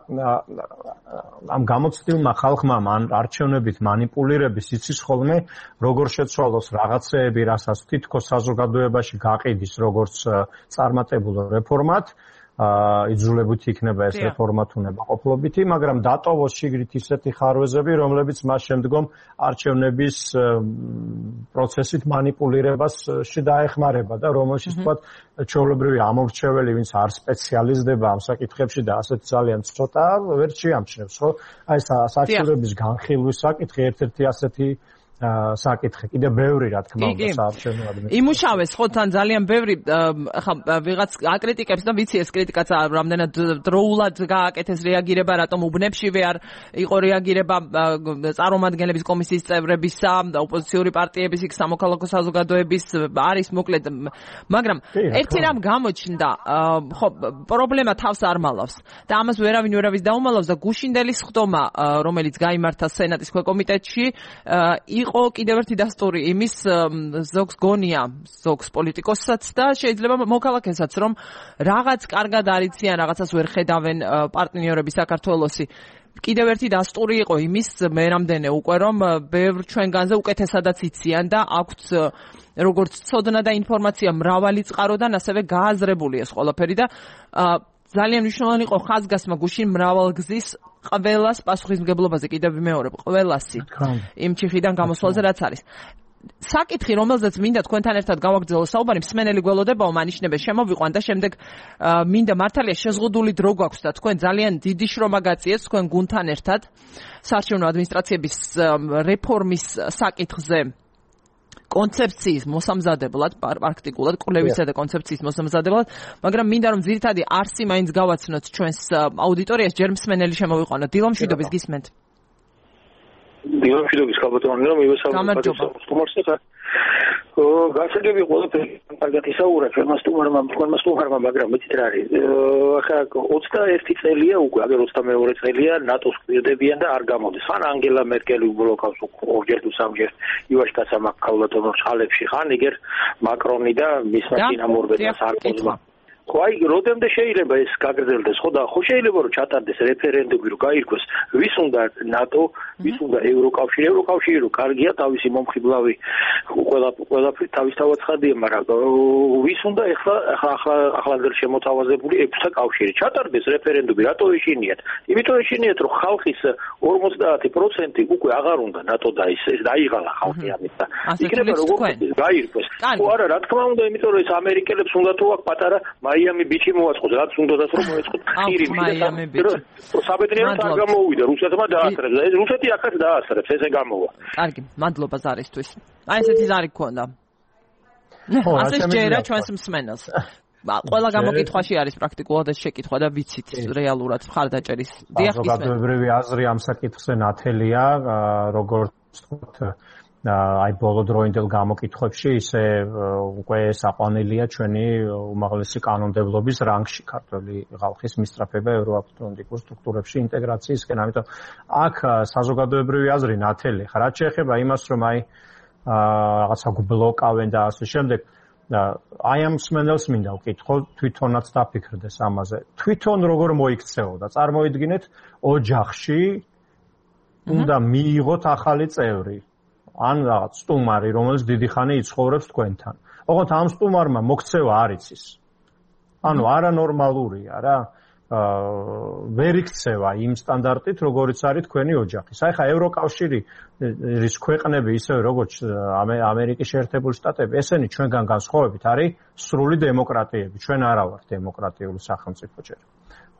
ამ გამოცდილმა ხალხმა ან არჩევნებით манипуლირების იცის ხოლმე როგორ შეცვალოს რაღაცეები, რასაც თითქოს საზოგადოებაში გაყიდის როგორც წარმატებულ რეფორმად იძულებითი იქნება ეს რეფორმა თუ ნებაყოფლობითი, მაგრამ დატოვოს შიგრით ისეთი ხარვეზები, რომლებიც მას შემდგომ არჩევნების პროცესით манипуლირებასში დაეხმარება და რომელშიც თქვა ჩვეულებრივი ამორჩეველი, ვინც არ სპეციალიზდება ამ საკითხებში და ასეთ ძალიან ცოტა ვერ შეამჩნევს, ხო? აი საჩუქრების განხილვის საკითხი ერთ-ერთი ასეთი საკითხი კიდე ბევრი რა თქმა უნდა საარჩევნო ადმინისტრაციაში იმუშავეს ხო თან ძალიან ბევრი ხა ვიღაც აკრიტიკებს და ვიცი ეს კრიტიკაც რამდენად დროულად გააკეთეს რეაგირება რატომ უბნებშივე არ იყო რეაგირება წარმომადგენლების კომისიის წევრებისა და ოპოზიციური პარტიების იქ სამოქალაქო საზოგადოების არის მოკლედ მაგრამ ერთი რამ გამოჩნდა ხო პრობლემა თავს არ მალავს და ამას ვერავის დაუმალავს და გუშინდელის ხდომა რომელიც გაიმართა სენატის ქვეკომიტეტში იყო კიდევ ერთი დასტური იმის ზოგს გონია ზოგს პოლიტიკოსაც და შეიძლება მოქალაქესაც რომ რაღაც კარგად არიციან რაღაცას ვერ ხედავენ პარტნიორები საქართველოსი კიდევ ერთი დასტური იყო იმის მე რამდენე უკვე რომ ბევრ ჩვენგანზე უკეთესადაც იციან და აქვთ როგორც ცოდნა და ინფორმაცია მრავალი წყაროდან ასევე გააზრებული ეს ყველაფერი და ძალიან მნიშვნელოვანი იყო ხაზგასმა გუშინ მრავალგზის ყველას პასუხისმგებლობაზე კიდევ ვიმეორებ ყველასი იმ ჩიხიდან გამოსვლაზე რაც არის საკითხი რომელზეც მინდა თქვენთან ერთად გავაგრძელო საუბარი მსმენელი გველოდებაო მანიშნებენ შემოვიყვან და შემდეგ მინდა მართალია შეზღუდული დრო გვაქვს და თქვენ ძალიან დიდი შრომა გაწიეთ თქვენ გუნდთან ერთად საარჩევნო ადმინისტრაციების რეფორმის საკითხზე კონცეფციის მოსამზადებლად პრაქტიკულად კვლევისა და კონცეფციის მოსამზადებლად მაგრამ მინდა რომ ძირითადი არსი მაინც გავაცნოთ ჩვენს აუდიტორიას ჯერ მსმენელი შემოვიყვანო დილომშვიდობის გისმენთ დილომშვიდობის ხალბატონი რომ გამარჯობა გასაგები ყველაფერი კარგად ისაურა ჩვენმა სტუმარმა მაგრამ მეცით რა არის ახლა 21 წელია უკვე აგერ 22 წელია ნატოს კვირდებიან და არ გამოდის ხან ანგელა მერკელი უბლოკავს ორჯერ თუ სამჯერ ივაშკაცა მაგალითად ხალებში ხან იგერ მაკრონი და მისმა წინამორბედმა სარკოზმა ხო აი როდემდე შეიძლება ეს გაგრძელდეს ხო და ხო შეიძლება რომ ჩატარდეს რეფერენდუმი რომ გაირკვეს ვის უნდა ნატო ვის უნდა ევროკავშირი რომ კარგია თავისი მომხიბლავი ყველაფერი თავისთავად ხადია მაგრამ ვის უნდა ახლა შემოთავაზებული ექვსა კავშირი ჩატარდეს რეფერენდუმი რატო ეშინიათ იმიტომ ეშინიათ რომ ხალხის 50% უკვე აღარ უნდა ნატო და ის დაიღალა ხალხი ამით და იქნება როგორ გაირკვეს ხო არა რა თქმა უნდა იმიტომ რომ ეს ამერიკელებს უნდა თუ აქ პატარა მაიამი ბიჩი მოაწყოს რაც უნდათ რომ მოეწყოთ ხირი მაიამი ბიჩი საბედნიეროდ არ გამოვიდა რუსეთმა დაასწრებს და ეს რუსეთი აქაც დაასწრებს ესე გამოვა კარგი მადლობა ზარისთვის აი ესეთი ზარი გქონდა ასე შეერა ჩვენს მსმენელს ყველა გამოკითხვაში არის პრაქტიკულად ეს შეკითხვა და ვიცით რეალურად მხარდაჭერის დიახ ისმენთ საზოგადოებრივი აზრი ამ საკითხზე ნათელია როგორც ვთქვათ აი ბოლო დროინდელ გამოკითხვებში ისე უკვე საყვანელია ჩვენი უმაღლესი კანონმდებლობის რანგში ქართული ხალხის მისწრაფება ევროატლანტიკურ სტრუქტურებში ინტეგრაციისკენ. ამიტომ აქ საზოგადოებრივი აზრი ნათელი ხარ. რაც შეეხება იმას, რომ აი რაღაცა გბლოკავენ და ასე შემდეგ აი ამ მსმენელს მინდა ვკითხო თვითონაც დაფიქრდეს ამაზე. თვითონ როგორ მოიქცეოდა? წარმოიდგინეთ ოჯახში უნდა მიიღოთ ახალი წევრი. ან რაღაც სტუმარი, რომელიც დიდი ხანი იცხოვრებს თქვენთან. ოღონდ ამ სტუმარმა მოქცევა არ იცის. ანუ არანორმალურია რა. ვერ იქცევა იმ სტანდარტით, როგორიც არის თქვენი ოჯახის. აი ხა ევროკავშირის ქვეყნები, ისევე როგორც ამერიკის შეერთებული შტატები, ესენი ჩვენგან განსხვავებით არის სრული დემოკრატიები. ჩვენ არა ვართ დემოკრატიული სახელმწიფო ჯერ.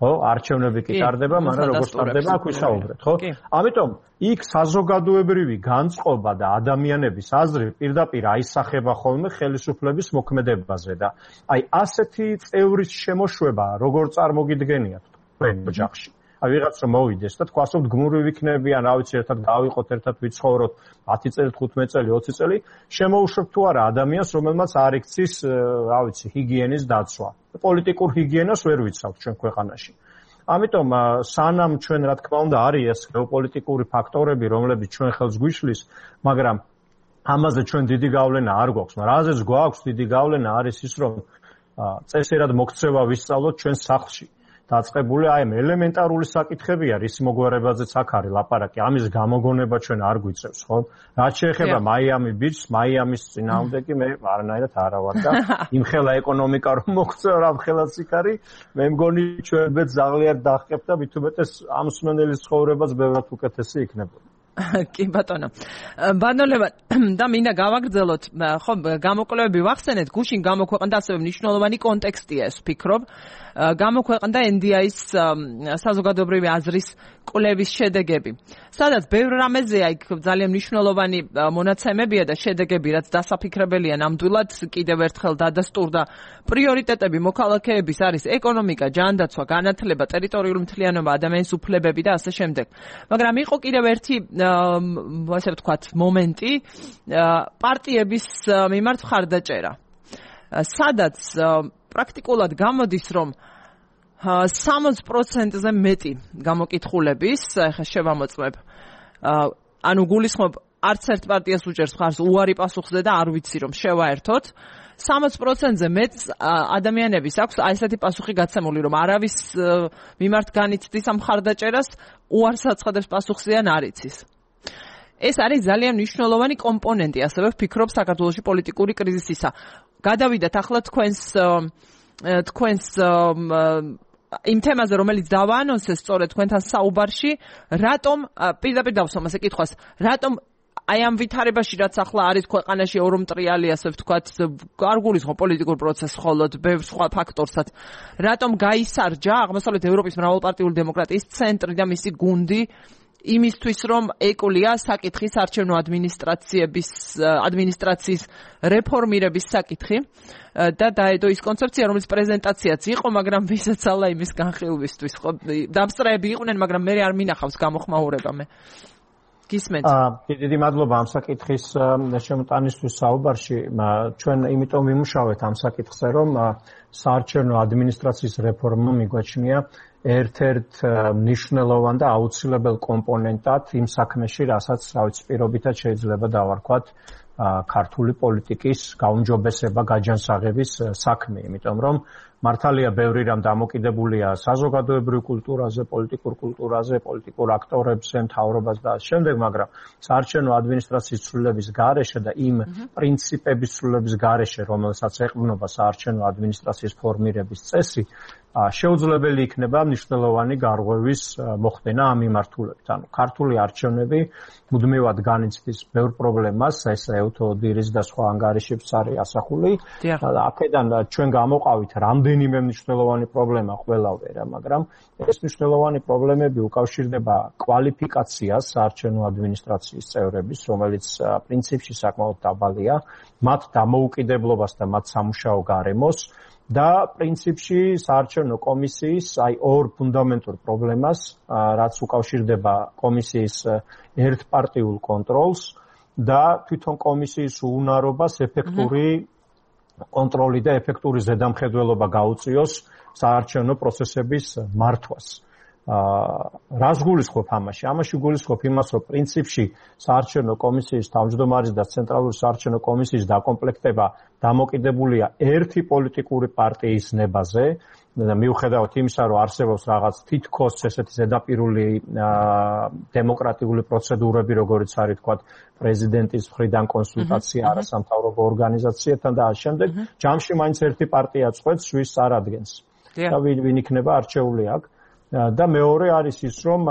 ხო, არჩევნები კი ტარდება, მაგრამ როგორც ტარდება, აქ ვისაუბრეთ, ხო? ამიტომ იქ საზოგადოებრივი განწყობა და ადამიანების აზრი პირდაპირ აისახება ხოლმე ხელისუფლების მოქმედებაზე და აი ასეთი წევრის შემოშვება როგორ წარმოგიდგენიათ თქვენ ოჯახში? აი ვიღაც რომ მოვიდეს და თქვა რომ გმური ვიქნებიან, რა ვიცი, ერთად გავიყოთ, ერთად ვიცხოვროთ 10 წელი, 15 წელი, 20 წელი, შემოუშვებ თუ არა ადამიანს, რომელმაც არ იქცის, რა ვიცი, ჰიგიენის დაცვა. პოლიტიკურ ჰიგიენას ვერ ვიცავთ ჩვენ ქვეყანაში. ამიტომ სანამ ჩვენ რა თქმა უნდა არის ეს გეოპოლიტიკური ფაქტორები, რომლებიც ჩვენ ხელს გვიშლის, მაგრამ ამაზე ჩვენ დიდი გავლენა არ გვაქვს, მაგრამ რაზეც გვაქვს დიდი გავლენა არის ის, რომ წესერად მოქცევა ვისწავლოთ ჩვენ სახლში. დაწყებული აი ამ ელემენტარული საკითხებია, რის მოგვარებაზეც აქ არის ლაპარაკი, ამის გამოგონება ჩვენ არ გვიწევს, ხო? რაც შეეხება Miami Beach, Miami-ის წინააღმდეგი მე არანაირად არა ვარ და იმხელა ეკონომიკა რომ მოგწევ რა მხელაც იქ არის, მე მგონი ჩვენ ბეთ ზაღლიერ დახკებთ და მით უმეტეს ამ მსმენელის ცხოვრებაც ბევრად უკეთესი იქნებოდა. კი ბატონო. ბანოლებად და მინდა გავაგრძელოთ, ხო, გამოკვლევები ვახსენეთ, გუშინ გამოქვეყნდა ასევე მნიშვნელოვანი კონტექსტია ეს ვფიქრობ. გამოქვეყნდა NDI-ის საზოგადოებრივი აზრის კვლევის შედეგები. სადაც ბევრ რამეზეა იქ ძალიან მნიშვნელოვანი მონაცემებია და შედეგები, რაც დასაფიქრებელია ნამდვილად კიდევ ერთხელ დადასტურდა პრიორიტეტები მოქალაქეების არის ეკონომიკა, ჯანდაცვა, განათლება, ტერიტორიული მთლიანობა, ადამიანის უფლებები და ასე შემდეგ. მაგრამ იყო კიდევ ერთი ასე ვთქვათ მომენტი პარტიების მიმართ მხარდაჭერა. სადაც პრაქტიკულად გამოდის, რომ 60%-ზე მეტი გამოკითხულების, ახლა შევამოწმებ, ანუ გულისხმობ არც ერთ პარტიას უჭერს მხარს უარი პასუხზე და არ ვიცი რომ შევაერთოთ 60%-ზე მეტ ადამიანების აქვს აი ესეთი პასუხი გაცემული რომ არავის მიმართ განიცდის ამ მხარდაჭერას უარს აცხადებს პასუხზე ან არ იცის. ეს არის ძალიან მნიშვნელოვანი კომპონენტი, ასევე ვფიქრობ საქართველოში პოლიტიკური კრიზისისა. გადავიდეთ ახლა თქვენს იმ თემაზე, რომელიც დავაანონსეს სწორედ თქვენთან საუბარში, რატომ პირდაპირ დავსვამ ასე კითხვას, რატომ აი ამ ვითარებაში, რაც ახლა არის ქვეყანაში ევრომტრიალი, ასე ვთქვათ, არ გულისხმობ პოლიტიკურ პროცესს, მხოლოდ ბევრ სხვა ფაქტორსაც, რატომ გაისარჯა აღმოსავლეთ ევროპის მრავალპარტიული დემოკრატიის ცენტრი და მისი გუნდი იმისთვის, რომ ეკვლია საკითხი საარჩევნო ადმინისტრაციის რეფორმირების საკითხი და დაედო ის კონცეფცია, რომელიც პრეზენტაციაც იყო, მაგრამ ვისაც ალა იმის განხილვისთვის, ხო, დამსწრეები იყვნენ, მაგრამ მე არ მინახავს გამოხმაურება მე. გისმენთ? დიდი მადლობა ამ საკითხის შემოტანისთვის საუბარში. ჩვენ იმიტომ ვიმუშავეთ ამ საკითხზე, რომ საარჩევნო ადმინისტრაციის რეფორმა მიგვაჩნია ერთ-ერთ მნიშვნელოვან და აუცილებელ კომპონენტად იმ საქმეში, რასაც პირობითად შეიძლება დავარქვათ ქართული პოლიტიკის გაუმჯობესება, გაჯანსაღების საქმე, იმიტომ რომ მართალია ბევრი რამ დამოკიდებულია საზოგადოებრივ კულტურაზე, პოლიტიკურ კულტურაზე, პოლიტიკურ აქტორებზე, მთავრობას და ამ შემდეგ, მაგრამ საარჩევნო ადმინისტრაციის ცვლილების გარეშე და იმ პრინციპების ცვლილების გარეშე, რომელსაც ეყრდნობა საარჩევნო ადმინისტრაციის ფორმირების წესი, შეუძლებელი იქნება მნიშვნელოვანი გარღვევის მოხდენა ამ მიმართულებით. ანუ ქართული არჩევნები მუდმივად განიცდის ბევრ პრობლემას, ეს ევთოდირის და სხვა ანგარიშებს არის ასახული. აქედან ჩვენ გამოყავით რამდენიმე მნიშვნელოვანი პრობლემა ყველავერა, მაგრამ ეს მნიშვნელოვანი პრობლემები უკავშირდება კვალიფიკაციას საარჩევნო ადმინისტრაციის წევრების, რომელიც პრინციპში საკმაოდ დაბალია, მათ დამოუკიდებლობას და მათ სამუშაო გარემოს. და პრინციპში საარჩევნო კომისიის აი ორ ფუნდამენტურ პრობლემას, რაც უკავშირდება კომისიის ერთპარტიულ კონტროლს და თვითონ კომისიის უუნარობას ეფექტური კონტროლი და ეფექტური ზედამხედველობა გაუწიოს საარჩევნო პროცესების მართვას. რას გულისხმობ ამაში? ამაში გულისხმობ იმას, რომ პრინციპში საარჩევნო კომისიის თავმჯდომარის და ცენტრალური საარჩევნო კომისიის დაკომპლექტება დამოკიდებულია ერთი პოლიტიკური პარტიის ნებაზე და მიუხედავად იმისა, რომ არსებობს რაღაც თითქოს ესეთი ზედაპირული დემოკრატიული პროცედურები, როგორც არის თქვა პრეზიდენტის მხრიდან კონსულტაცია არასამთავრობო ორგანიზაციებთან და ამ შემდეგ, ჯამში მაინც ერთი პარტია წყვეტს, ვის წარადგენს. და ვინ იქნება არჩეული აქ. და მეორე არის ის, რომ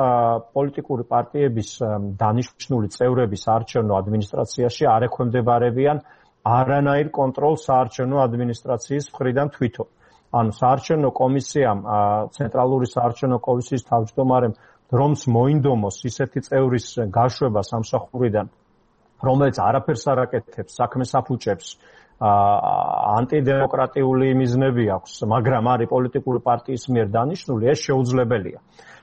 პოლიტიკური პარტიების დანიშნული წევრები საარჩევნო ადმინისტრაციაში არ ექვემდებარებიან არანაირ კონტროლს საარჩევნო ადმინისტრაციის მხრიდან თვითონ. ანუ საარჩევნო კომისიამ, ცენტრალური საარჩევნო კომისიის თავმჯდომარემ რომს მოინდომოს ისეთი წევრის გაშვება სამსახურიდან, რომელიც არაფერს არ აკეთებს, საქმეს აფუჭებს, ანტიდემოკრატიული მიზნები აქვს, მაგრამ არის პოლიტიკური პარტიის მიერ დანიშნული, ეს შეუძლებელია.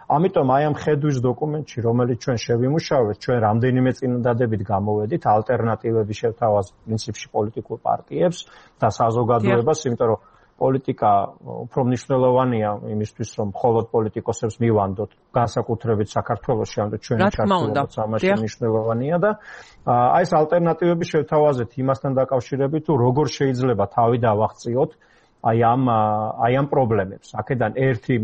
ამიტომ აი ამ ხედვის დოკუმენტში, რომელიც ჩვენ შევიმუშავეთ, ჩვენ რამდენიმე წინადადებით გამოვედით ალტერნატივები შევთავაზეთ პრინციპში პოლიტიკურ პარტიებს და საზოგადოებას, იმიტომ რომ პოლიტიკა უფრო მნიშვნელოვანია იმისთვის, რომ მხოლოდ პოლიტიკოსებს მივანდოთ, განსაკუთრებით საქართველოში, ამიტომ ჩვენი ჩართულობაც ამაში მნიშვნელოვანია და აი ეს ალტერნატივები შევთავაზეთ იმასთან დაკავშირებით, თუ როგორ შეიძლება თავი დავაღწიოთ აი ამ პრობლემებს. აქედან ერთი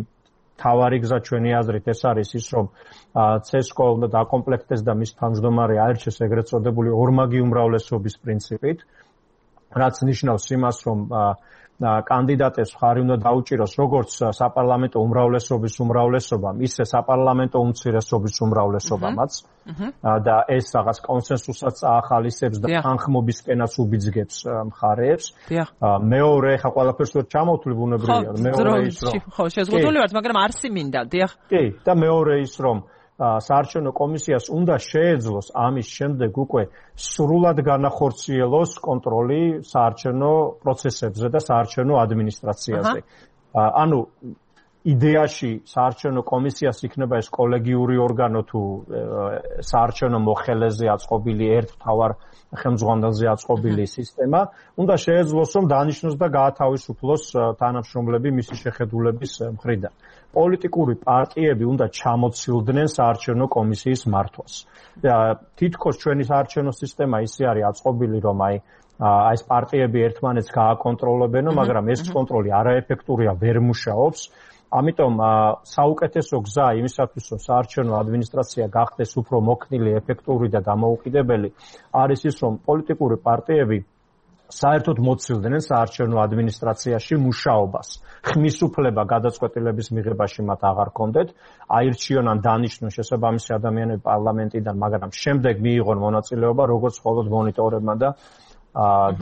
თავარი გზა ჩვენი აზრით ეს არის ის, რომ CESCO უნდა დაკომპლექტდეს და მის თავმჯდომარე აირჩეს ეგრეთ წოდებული ორმაგი უმრავლესობის პრინციპით, რაც ნიშნავს იმას, რომ კანდიდატებს მხარი უნდა დაუჭიროს როგორც საპარლამენტო უმრავლესობის უმრავლესობამ, ისე საპარლამენტო უმცირესობის უმრავლესობამაც და ეს რაღაც კონსენსუსსაც აახალისებს და თანხმობისკენაც უბიძგებს მხარეებს. მეორე, ხა ყველაფერს ვერ ჩამოვთვლი ბუნებრივია. მეორე ის რომ ხო, შეზღუდული ვართ, მაგრამ არსი მინდა, დიახ. კი, და მეორე ის რომ საარჩევნო კომისიას უნდა შეეძლოს ამის შემდეგ უკვე სრულად განახორციელოს კონტროლი საარჩევნო პროცესებზე და საარჩევნო ადმინისტრაციაზე. ანუ იდეაში საარჩევნო კომისიას იქნება ეს კოლეგიური ორგანო თუ საარჩევნო მოხელეზე აწყობილი ერთ მთავარ ხელმძღვანელზე აწყობილი სისტემა, უნდა შეეძლოს რომ დანიშნოს და გაათავისუფლოს თანამშრომლები მისი შეხედულების მხრიდან. პოლიტიკური პარტიები უნდა ჩამოცილდნენ საარჩევნო კომისიის მართვას. თითქოს ჩვენი საარჩევნო სისტემა ისე არის აწყობილი, რომ ეს პარტიები ერთმანეთს გააკონტროლებენო, მაგრამ ეს კონტროლი არაეფექტურია, ვერ მუშაობს. ამიტომ საუკეთესო გზა იმისათვის, რომ საარჩევნო ადმინისტრაცია გახდეს უფრო მოქნილი, ეფექტური და დამოუკიდებელი, არის ის, რომ პოლიტიკური პარტიები საერთოდ მოცილდნენ საარჩევნო ადმინისტრაციაში მუშაობას. ხმის უფლება გადაწყვეტილების მიღებაში მათ აღარ ჰქონდეთ, აირჩიონ ან დანიშნონ შესაბამისი ადამიანები პარლამენტიდან, მაგრამ შემდეგ მიიღონ მონაწილეობა როგორც მხოლოდ მონიტორებმა და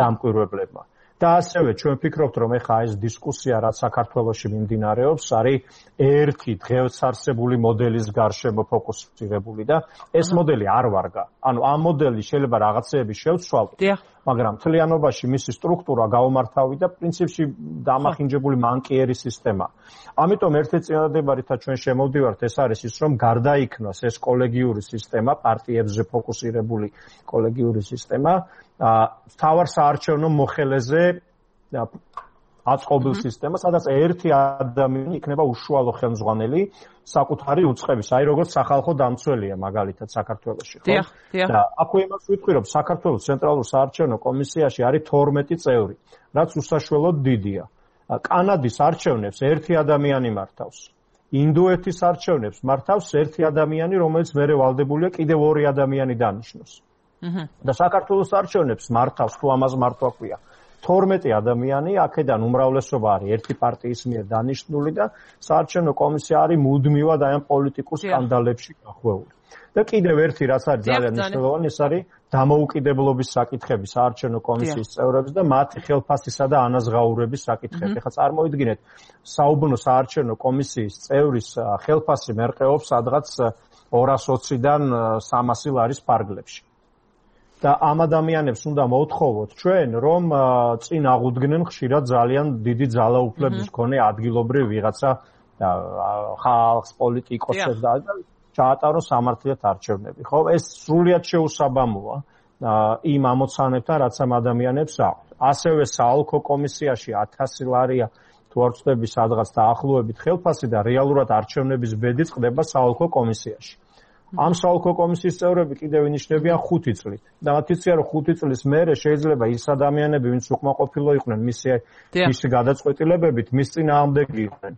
დამკვირვებლებმა. და ასევე ჩვენ ვფიქრობთ, რომ ეხლა ეს დისკუსია, რაც საქართველოში მიმდინარეობს, არის ერთი დღეს არსებული მოდელის გარშემო ფოკუსირებული და ეს მოდელი არ ვარგა. ანუ ამ მოდელი შეიძლება რაღაცეები შევცვალოთ, მაგრამ მთლიანობაში მისი სტრუქტურა გაუმართავი და პრინციპში დამახინჯებული მანკიერი სისტემა. ამიტომ ერთი წინადადება, რითაც ჩვენ შემოვდივართ, ეს არის ის, რომ გარდაიქმნას ეს კოლეგიური სისტემა, პარტიებზე ფოკუსირებული კოლეგიური სისტემა, თავარ საარჩევნო მოხელეზე აწყობილ სისტემა, სადაც ერთი ადამიანი იქნება უშუალო ხელმძღვანელი საკუთარი უწყების, აი როგორც სახალხო დამცველია მაგალითად საქართველოში, ხო? და აქვე იმას ვიტყვი, რომ საქართველოს ცენტრალურ საარჩევნო კომისიაში არის 12 წევრი, რაც უსაშველოდ დიდია. კანადის არჩევნებს ერთი ადამიანი მართავს. ინდოეთის არჩევნებს მართავს ერთი ადამიანი, რომელიც მერე ვალდებულია კიდევ ორი ადამიანი დანიშნოს. და საქართველოს არჩევნებს მართავს, თუ ამას მართვა ქვია, 12 ადამიანი, აქედან უმრავლესობა არის ერთი პარტიის მიერ დანიშნული და საარჩევნო კომისია არის მუდმივად აი ამ პოლიტიკურ სკანდალებში გახვეული. და კიდევ ერთი რაც არის ძალიან მნიშვნელოვანი, ეს არის დამოუკიდებლობის საკითხები საარჩევნო კომისიის წევრებს და მათი ხელფასისა და ანაზღაურების საკითხები. ეხლა წარმოიდგინეთ, საუბნო საარჩევნო კომისიის წევრის ხელფასი მერყეობს სადღაც 220-დან 300 ლარის ფარგლებში. და ამ ადამიანებს უნდა მოვთხოვოთ ჩვენ, რომ წინ აღუდგნენ ხშირად ძალიან დიდი ძალაუფლების მქონე ადგილობრივ ვიღაცა ხალხს, პოლიტიკოსებს და ჩაატაროს სამართლიათ არჩევნები. ხო, ეს სრულიად შეუსაბამოა იმ ამოცანებთან, რაც ამ ადამიანებს აქვთ. ასევე საოლქო კომისიაში 1000 ლარია თუ არ ვწდები სადღაც დაახლოებით ხელფასი და რეალურად არჩევნების ბედი წყდება საოლქო კომისიაში. ამ საოლქო კომისიის წევრები კიდევ ინიშნებიან 5 წლით. და მათ იციან, რომ 5 წლის მერე შეიძლება ის ადამიანები, ვინც უკმაყოფილო იყვნენ მისი გადაწყვეტილებებით, მის წინააღმდეგი იყვნენ.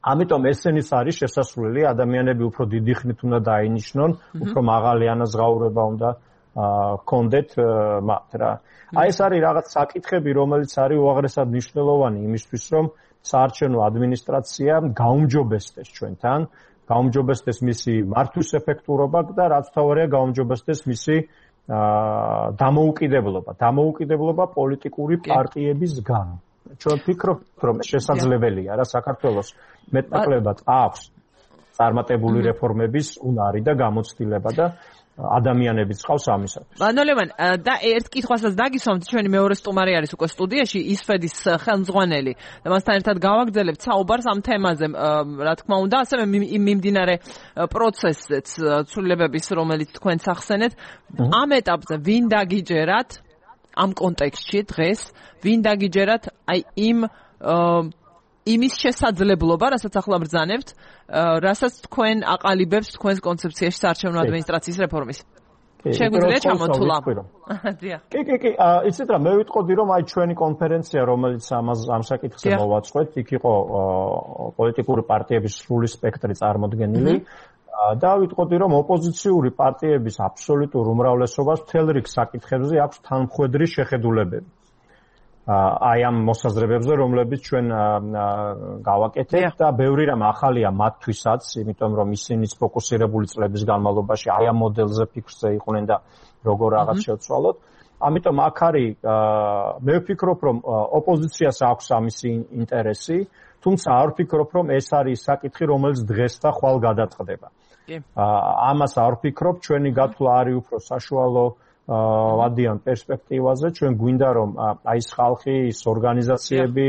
ამიტომ ესენის არის შესასვლელი, ადამიანები უფრო დიდი ხნით უნდა დაინიშნონ, უფრო მაღალი ანაზღაურება უნდა ჰქონდეთ მათ რა. აი ეს არის რაღაც საკითხები, რომელიც არის უაღრესად მნიშვნელოვანი იმისთვის, რომ საარჩევნო ადმინისტრაცია გაუმჯობესდეს ჩვენთან, გაუმჯობესდეს მისი მართვის ეფექტურობა და რაც თავარია გაუმჯობესდეს მისი დამოუკიდებლობა პოლიტიკური პარტიებისგან. ჩვენ ვფიქრობთ, რომ შესაძლებელია რა საქართველოს მეტნაკლებად აქვს წარმატებული რეფორმების უნარი და გამოცდილება და ადამიანებიც ყავს ამისათვის. მანოლევან, და ერთ კითხვასაც დაგისვამთ, ჩვენი მეორე სტუმარი არის უკვე სტუდიაში, ისფედის ხელმძღვანელი და მასთან ერთად გავაგრძელებთ საუბარს ამ თემაზე, რა თქმა უნდა, ასევე მიმდინარე პროცესზეც ცვლილებების, რომელიც თქვენც ახსენეთ. ამ ეტაპზე ვინ დაგიჯერათ ამ კონტექსტში დღეს, ვინ დაგიჯერათ აი იმის შესაძლებლობა, რასაც ახლა ბრძანებთ, რასაც თქვენ აყალიბებს თქვენს კონცეფციაში საარჩევნო ადმინისტრაციის რეფორმის. შეგვიძლია ჩამოთვლა. დიახ. კი, იცით რა, მე ვიტყოდი რომ აი ჩვენი კონფერენცია, რომელიც ამ საკითხზე მოვაწყვეთ, იქ იყო პოლიტიკური პარტიების სრული სპექტრი წარმოდგენილი. და ვიტყოდი რომ ოპოზიციური პარტიების აბსოლუტურ უმრავლესობას მთელ რიგ საკითხებზე აქვს თანმხვედრი შეხედულებები. აი ამ მოსაზრებებზე, რომლებიც ჩვენ გავაკეთებთ და ბევრი რამ ახალია მათთვისაც, იმიტომ რომ ისინიც ფოკუსირებული წლების განმავლობაში აი ამ მოდელზე ფიქრზე იყვნენ და როგორ რაღაც შეცვალოთ. ამიტომ აქ არის მე ვფიქრობ რომ ოპოზიციას აქვს ამისი ინტერესი, თუმცა არ ვფიქრობ რომ ეს არის საკითხი, რომელიც დღეს და ხვალ გადაწყდება. ამას არ ვფიქრობ, ჩვენი გათვლა არის უფრო საშუალო ვადიან პერსპექტივაზე, ჩვენ გვინდა რომ აი ეს ხალხი, ის ორგანიზაციები,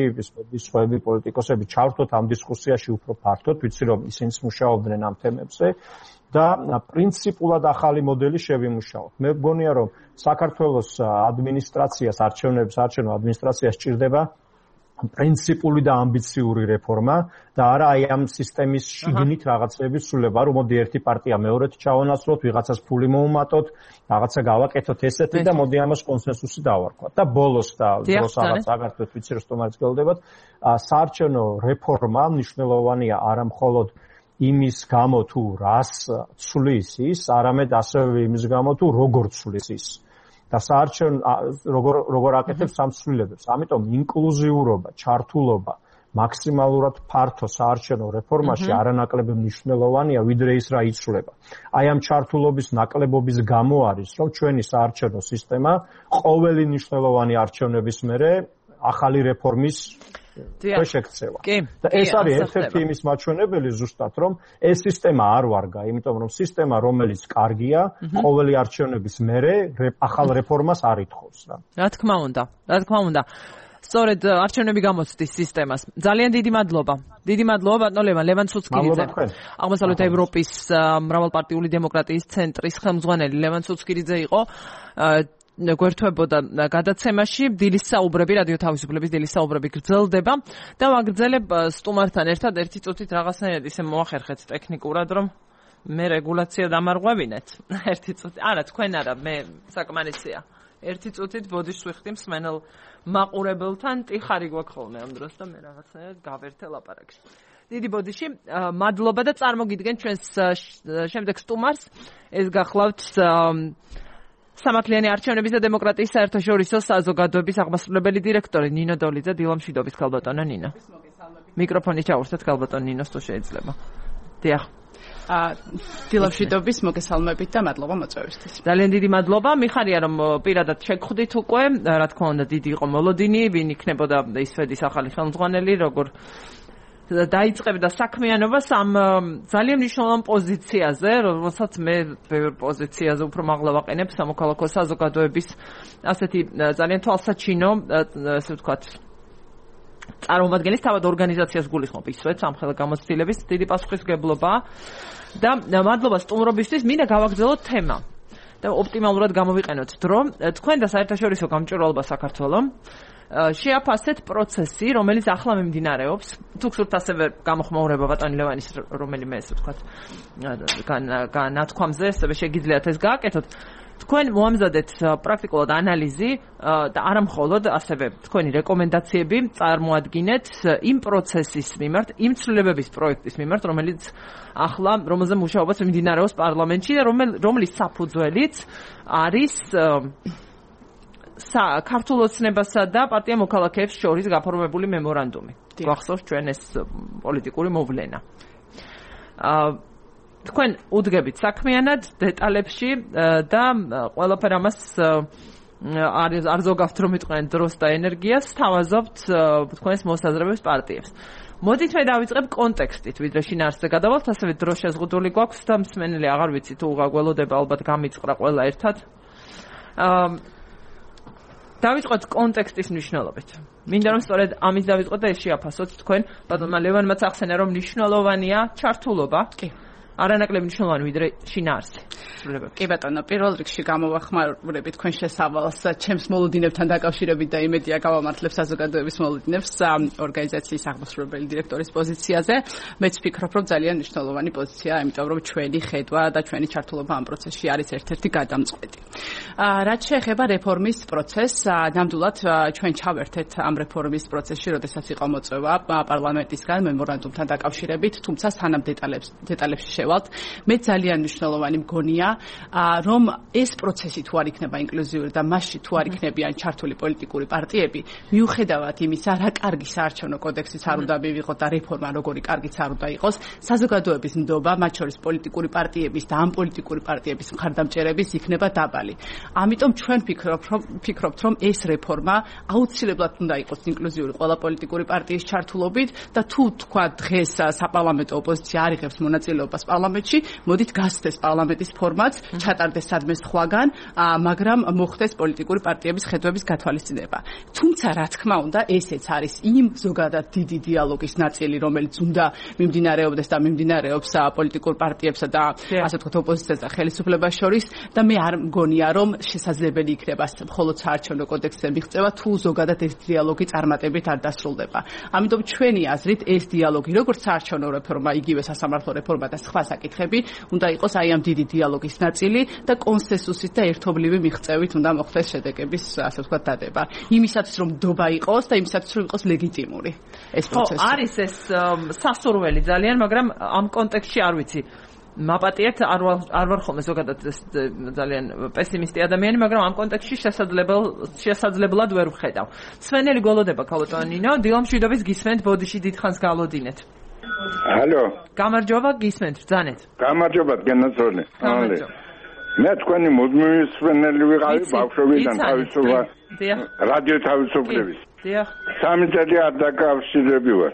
ის სხვები პოლიტიკოსები ჩავთოთ ამ დისკუსიაში უფრო ფართოდ, ვიცი რომ ისინიც მუშაობდნენ ამ თემებზე და პრინციპულად ახალი მოდელი შევიმუშაოთ. მე მგონია რომ საქართველოს ადმინისტრაციას, არჩევნო ადმინისტრაციას სჭირდება პრინციპული და ამბიციური რეფორმა და არა აი ამ სისტემის შიგნით რაღაცების სრულება, რომ მოდი ერთი პარტია მეორედ ჩავანაცვლოთ, ვიღაცას ფული მოუმატოთ, რაღაცა გავაკეთოთ ესეთი და მოდი ამას კონსენსუსი დავარქვათ. და ბოლოს და დროს რაღაც აგართვეთ, ვიცი რომ სტომარიც გელოდებათ, საარჩევნო რეფორმა მნიშვნელოვანია არა მხოლოდ იმის გამო თუ რას ცვლის ის, არამედ ასევე იმის გამო თუ როგორ ცვლის ის. და საარჩევნო როგორ აკეთებს სამცვლელებებს. ამიტომ ინკლუზიურობა, ჩართულობა მაქსიმალურად ფართო საარჩევნო რეფორმაში არანაკლები მნიშვნელოვანია, ვიდრე ის რა იცვლება. აი ამ ჩართულობის ნაკლებობის გამო არის, რომ ჩვენი საარჩევნო სისტემა ყოველი მნიშვნელოვანი არჩევნების მერე ახალი რეფორმის ქვეშ ექცევა. და ეს არის ერთ-ერთი იმის მაჩვენებელი ზუსტად, რომ ეს სისტემა არ ვარგა, იმიტომ რომ სისტემა, რომელიც კარგია, ყოველი არჩევნების მერე ახალ რეფორმას არ ითხოვს რა. რა თქმა უნდა. სწორედ არჩევნები გამოცდის სისტემას. ძალიან დიდი მადლობა. დიდი მადლობა ბატონ ლევან ცუცკირიძე. აღმოსავლეთ ევროპის მრავალპარტიული დემოკრატიის ცენტრის ხელმძღვანელი ლევან ცუცკირიძე იყო. გვერდთვებოდა გადაცემაში დილის საუბრები, რადიო თავისუფლების დილის საუბრები გრძელდება და ვაგრძელებ სტუმართან ერთად ერთი წუთით რაღაცნაირად ისე მოახერხეთ ტექნიკურად, რომ მე რეგულაცია დამარღვევინეთ. ერთი წუთი. არა, თქვენ არა, მე საკმარისია. ერთი წუთით ბოდიშს ვიხდი მსმენელ მაყურებელთან, ტიხარი გვაქვს ხოლმე ამ დროს და მე რაღაცნაირად გავერთე ლაპარაკში. დიდი ბოდიში, მადლობა და წარმოგიდგენ ჩვენს შემდეგ სტუმარს. ეს გახლავთ სამართლიანი არჩევნების და დემოკრატიის საერთაშორისო საზოგადოების აღმასრულებელი დირექტორი ნინო დოლიძე. დილამშვიდობის ქალბატონო ნინო. მიკროფონი ჩაურთეთ ქალბატონ ნინოს თუ შეიძლება. დიახ. დილამშვიდობის მოგესალმებით და მადლობა მოწვევისთვის. ძალიან დიდი მადლობა. მიხარია რომ პირადად შეგხვდით უკვე, რა თქმა უნდა დიდი იყო მოლოდინი, ვინ იქნებოდა ისვედის ახალი ხელმძღვანელი, როგორ დაიწყებდა საქმიანობას ამ ძალიან მნიშვნელოვან პოზიციაზე, რომელსაც მე ბევრ პოზიციაზე უფრო მაღლა ვაყენებ სამოქალაქო საზოგადოების ასეთი ძალიან თვალსაჩინო, ასე ვთქვათ, წარმომადგენლის თავად ორგანიზაციას გულისხმობ ისვეც ამ ხელგამოცდილების დიდი პასუხისმგებლობა და მადლობა სტუმრობისთვის. მინდა გავაგრძელოთ თემა და ოპტიმალურად გამოვიყენოთ დრო. თქვენ და საერთაშორისო გამჭვირვალობა საქართველოს შეაფასეთ პროცესი, რომელიც ახლა მიმდინარეობს. თუ გსურთ ასევე გამოხმაურება ბატონი ლევანის რომელიმე ესე ვთქვათ განათქვამზე, ასევე შეგიძლიათ ეს გააკეთოთ. თქვენ მოამზადეთ პრაქტიკულად ანალიზი და არა მხოლოდ ასევე თქვენი რეკომენდაციები წარმოადგინეთ იმ პროცესის მიმართ, იმ ცვლილებების პროექტის მიმართ, რომელიც ახლა რომელზე მუშაობაც მიმდინარეობს პარლამენტში და რომლის საფუძველიც არის ქართულ ოცნებასა და პარტია მოქალაქეებს შორის გაფორმებული მემორანდუმი. გვახსოვს ჩვენ ეს პოლიტიკური მოვლენა. თქვენ უდგებით საქმიანად დეტალებში და ყველაფერ ამას არ ზოგავთ რომ იტყვიან დროს და ენერგიას, თავაზობთ თქვენს მოსაზრებებს პარტიებს. მოდით მე დავიწყებ კონტექსტით, ვიდრე შინაარსზე გადავალთ, ასევე დრო შეზღუდული გვაქვს და მსმენელი აღარ ვიცი თუ გაგველოდება, ალბათ გამიწყრა ყველა ერთად. დავიწყოთ კონტექსტის მნიშვნელობით. მინდა რომ სწორედ ამის დავიწყოთ და ეს შეაფასოთ თქვენ ბატონმა ლევანმაც ახსენა რომ მნიშვნელოვანია ჩართულობა. კი. არანაკლები მნიშვნელოვანი ვიდრე შინაარსი. კი ბატონო, პირველ რიგში გამოვახმარებით თქვენ შესავალს ჩემს მოლოდინებთან დაკავშირებით და იმედია გავამართლებ საზოგადოების მოლოდინებს ორგანიზაციის აღმასრულებელი დირექტორის პოზიციაზე. მეც ვფიქრობ, რომ ძალიან მნიშვნელოვანი პოზიციაა, იმიტომ რომ ჩვენი ხედვა და ჩვენი ჩართულობა ამ პროცესში არის ერთ-ერთი გადამწყვეტი. რაც შეეხება რეფორმის პროცესს, ნამდვილად ჩვენ ჩავერთეთ ამ რეფორმის პროცესში, როდესაც იყო მოწვევა პარლამენტისგან მემორანდუმთან დაკავშირებით, თუმცა სანამ დეტალებში შევალთ, მე ძალიან მნიშვნელოვანი მგონია, რომ ეს პროცესი თუ არ იქნება ინკლუზიური და მასში თუ არ იქნებიან ჩართული პოლიტიკური პარტიები, მიუხედავად იმისა, რა კარგი საარჩევნო კოდექსიც არ უნდა მივიღოთ და რეფორმა როგორი კარგიც არ უნდა იყოს, საზოგადოების ნდობა, მათ შორის პოლიტიკური პარტიების და ამ პოლიტიკური პარტიების მხარდამჭერების იქნება დაბალი. ამიტომ ჩვენ ვფიქრობთ, რომ ეს რეფორმა აუცილებლად უნდა იყოს ინკლუზიური ყველა პოლიტიკური პარტიის ჩართულობით და თუ თქვა დღეს საპარლამენტო ოპოზიცია არ იღებს მონაწილეობას პარლამენტში, მოდით გასცდეს პარლამენტის ფორმაც, ჩატარდეს სადმე სხვაგან, მაგრამ მოხდეს პოლიტიკური პარტიების ხედვების გათვალისწინება. თუმცა რა თქმა უნდა, ესეც არის იმ ზოგადად დიდი დიალოგის ნაწილი, რომელიც უნდა მიმდინარეობდეს და მიმდინარეობს პოლიტიკურ პარტიებსა და ასე ვთქვათ ოპოზიციას და ხელისუფლებას შორის და მე არ მგონია, რომ შესაძლებელი იქნება მხოლოდ საარჩევნო კოდექსზე მიღწევა, თუ ზოგადად ეს დიალოგი წარმატებით არ დასრულდება. ამიტომ ჩვენი აზრით ეს დიალოგი, როგორც საარჩევნო რეფორმა, იგივე სასამართლო რეფორმა და სხვა საკითხები, უნდა იყოს აი ამ დიდი დიალოგის ნაწილი და კონსენსუსით და ერთობლივი მიღწევით უნდა მოხდეს შედეგების, ასე ვთქვათ, დადება. იმისათვის რომ ნდობა იყოს და იმისათვის რომ იყოს ლეგიტიმური ეს პროცესი. არის ეს სასურველი ძალიან, მაგრამ ამ კონტექსტში არ ვიცი. მაპატიეთ არ ვარ ხოლმე ზოგადად ძალიან პესიმისტი ადამიანი, მაგრამ ამ კონტექსტში შესაძლებლად ვერ ვხედავ. სვენელი გოლოდება ქალბატონინო, დილამშვიდობის გისმენთ, ბოდიში დიდხანს გალოდინეთ. ალო. გამარჯობა, გისმენთ, ბრძანეთ. გამარჯობა, გენაცოლე. მე თქვენი მუდმივი სვენელი ვიყავი ბავშვობიდან თავისუფლება. რადიო თავისუფლების. დიახ. 3 წელი არ დაკავშირები ვარ.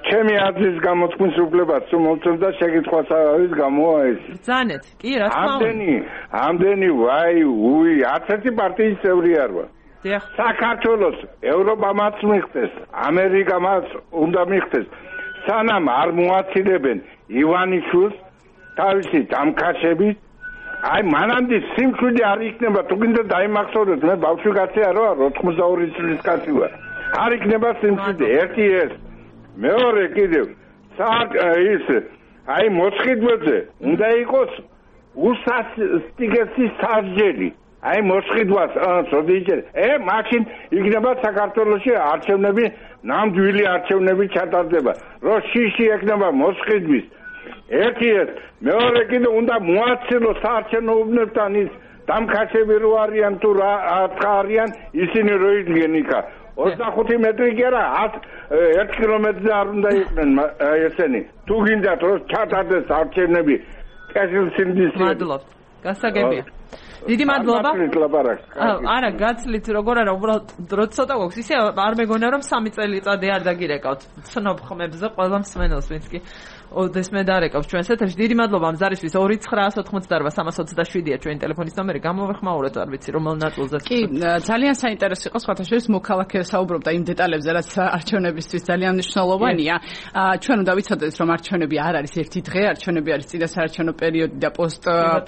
ჩემი აზრის გამოთქმის უფლებას თუ მომწონდა შეკითხვას არის გამოა ეს. ბრძანეთ. კი, რა თქმა უნდა. ამდენი ვაი, უი, 11 პარტიის წევრი არ ვარ. დიახ. საქართველოს ევროპამაც მიხდეს, ამერიკამაც უნდა მიხდეს. სანამ არ მოაცილებენ ივანიშვილს თავისი დამკაშებით, აი მანამდე სიმშვიდე არ იქნება, თუ გინდა დაიმახსოვროთ, მე ბავშვი კაცი არ ვარ, 82 წლის კაცი ვარ. არ იქნება სიმშვიდე, ერთი ეს. მეორე კიდევ ის აი მოსყიდვებზე უნდა იყოს უსასტიკესი სასჯელი. აი მოსყიდვას წოდიჭერ. მაშინ იქნება საქართველოში არჩევნები, ნამდვილი არჩევნები ჩატარდება. რო შიში ექნება მოსყიდვის. ერთი ეს, მეორე კიდე უნდა მოაცილოს საარჩევნო უბნებთან ის დამკაშები რო არიან თუ რა არიან, ისინი რო იდგენ იქა. 25 მეტრი კი არა, 1 კილომეტრზე არ უნდა იყვნენ ესენი. თუ გინდათ რომ ჩატარდეს არჩევნები, კესილსინდის. მადლობთ. გასაგებია. დიდი მადლობა. არა, გაცლით როგორ არა, უბრალოდ დრო ცოტა გვაქვს. ისე არ მეგონა რომ 3 წელიწადი არ დაგირეკავთ. ცნობ ხმებზე ყველა მსმენელს, ვინც კი ოდეს მე დარეკავს ჩვენს ეთერში. დიდი მადლობა ამ ზარისთვის 2988327-ია ჩვენი ტელეფონის ნომერი. გამოვეხმაუროთ, არ ვიცი რომელ ნაწილზე. კი, ძალიან საინტერესო იყო სხვათა შორის მოქალაქე საუბრობდა იმ დეტალებზე, რაც არჩევნებისთვის ძალიან მნიშვნელოვანია. ჩვენ უნდა ვიცოდეთ, რომ არჩევნები არ არის ერთი დღე, არჩევნები არის წინა საარჩევნო პერიოდი და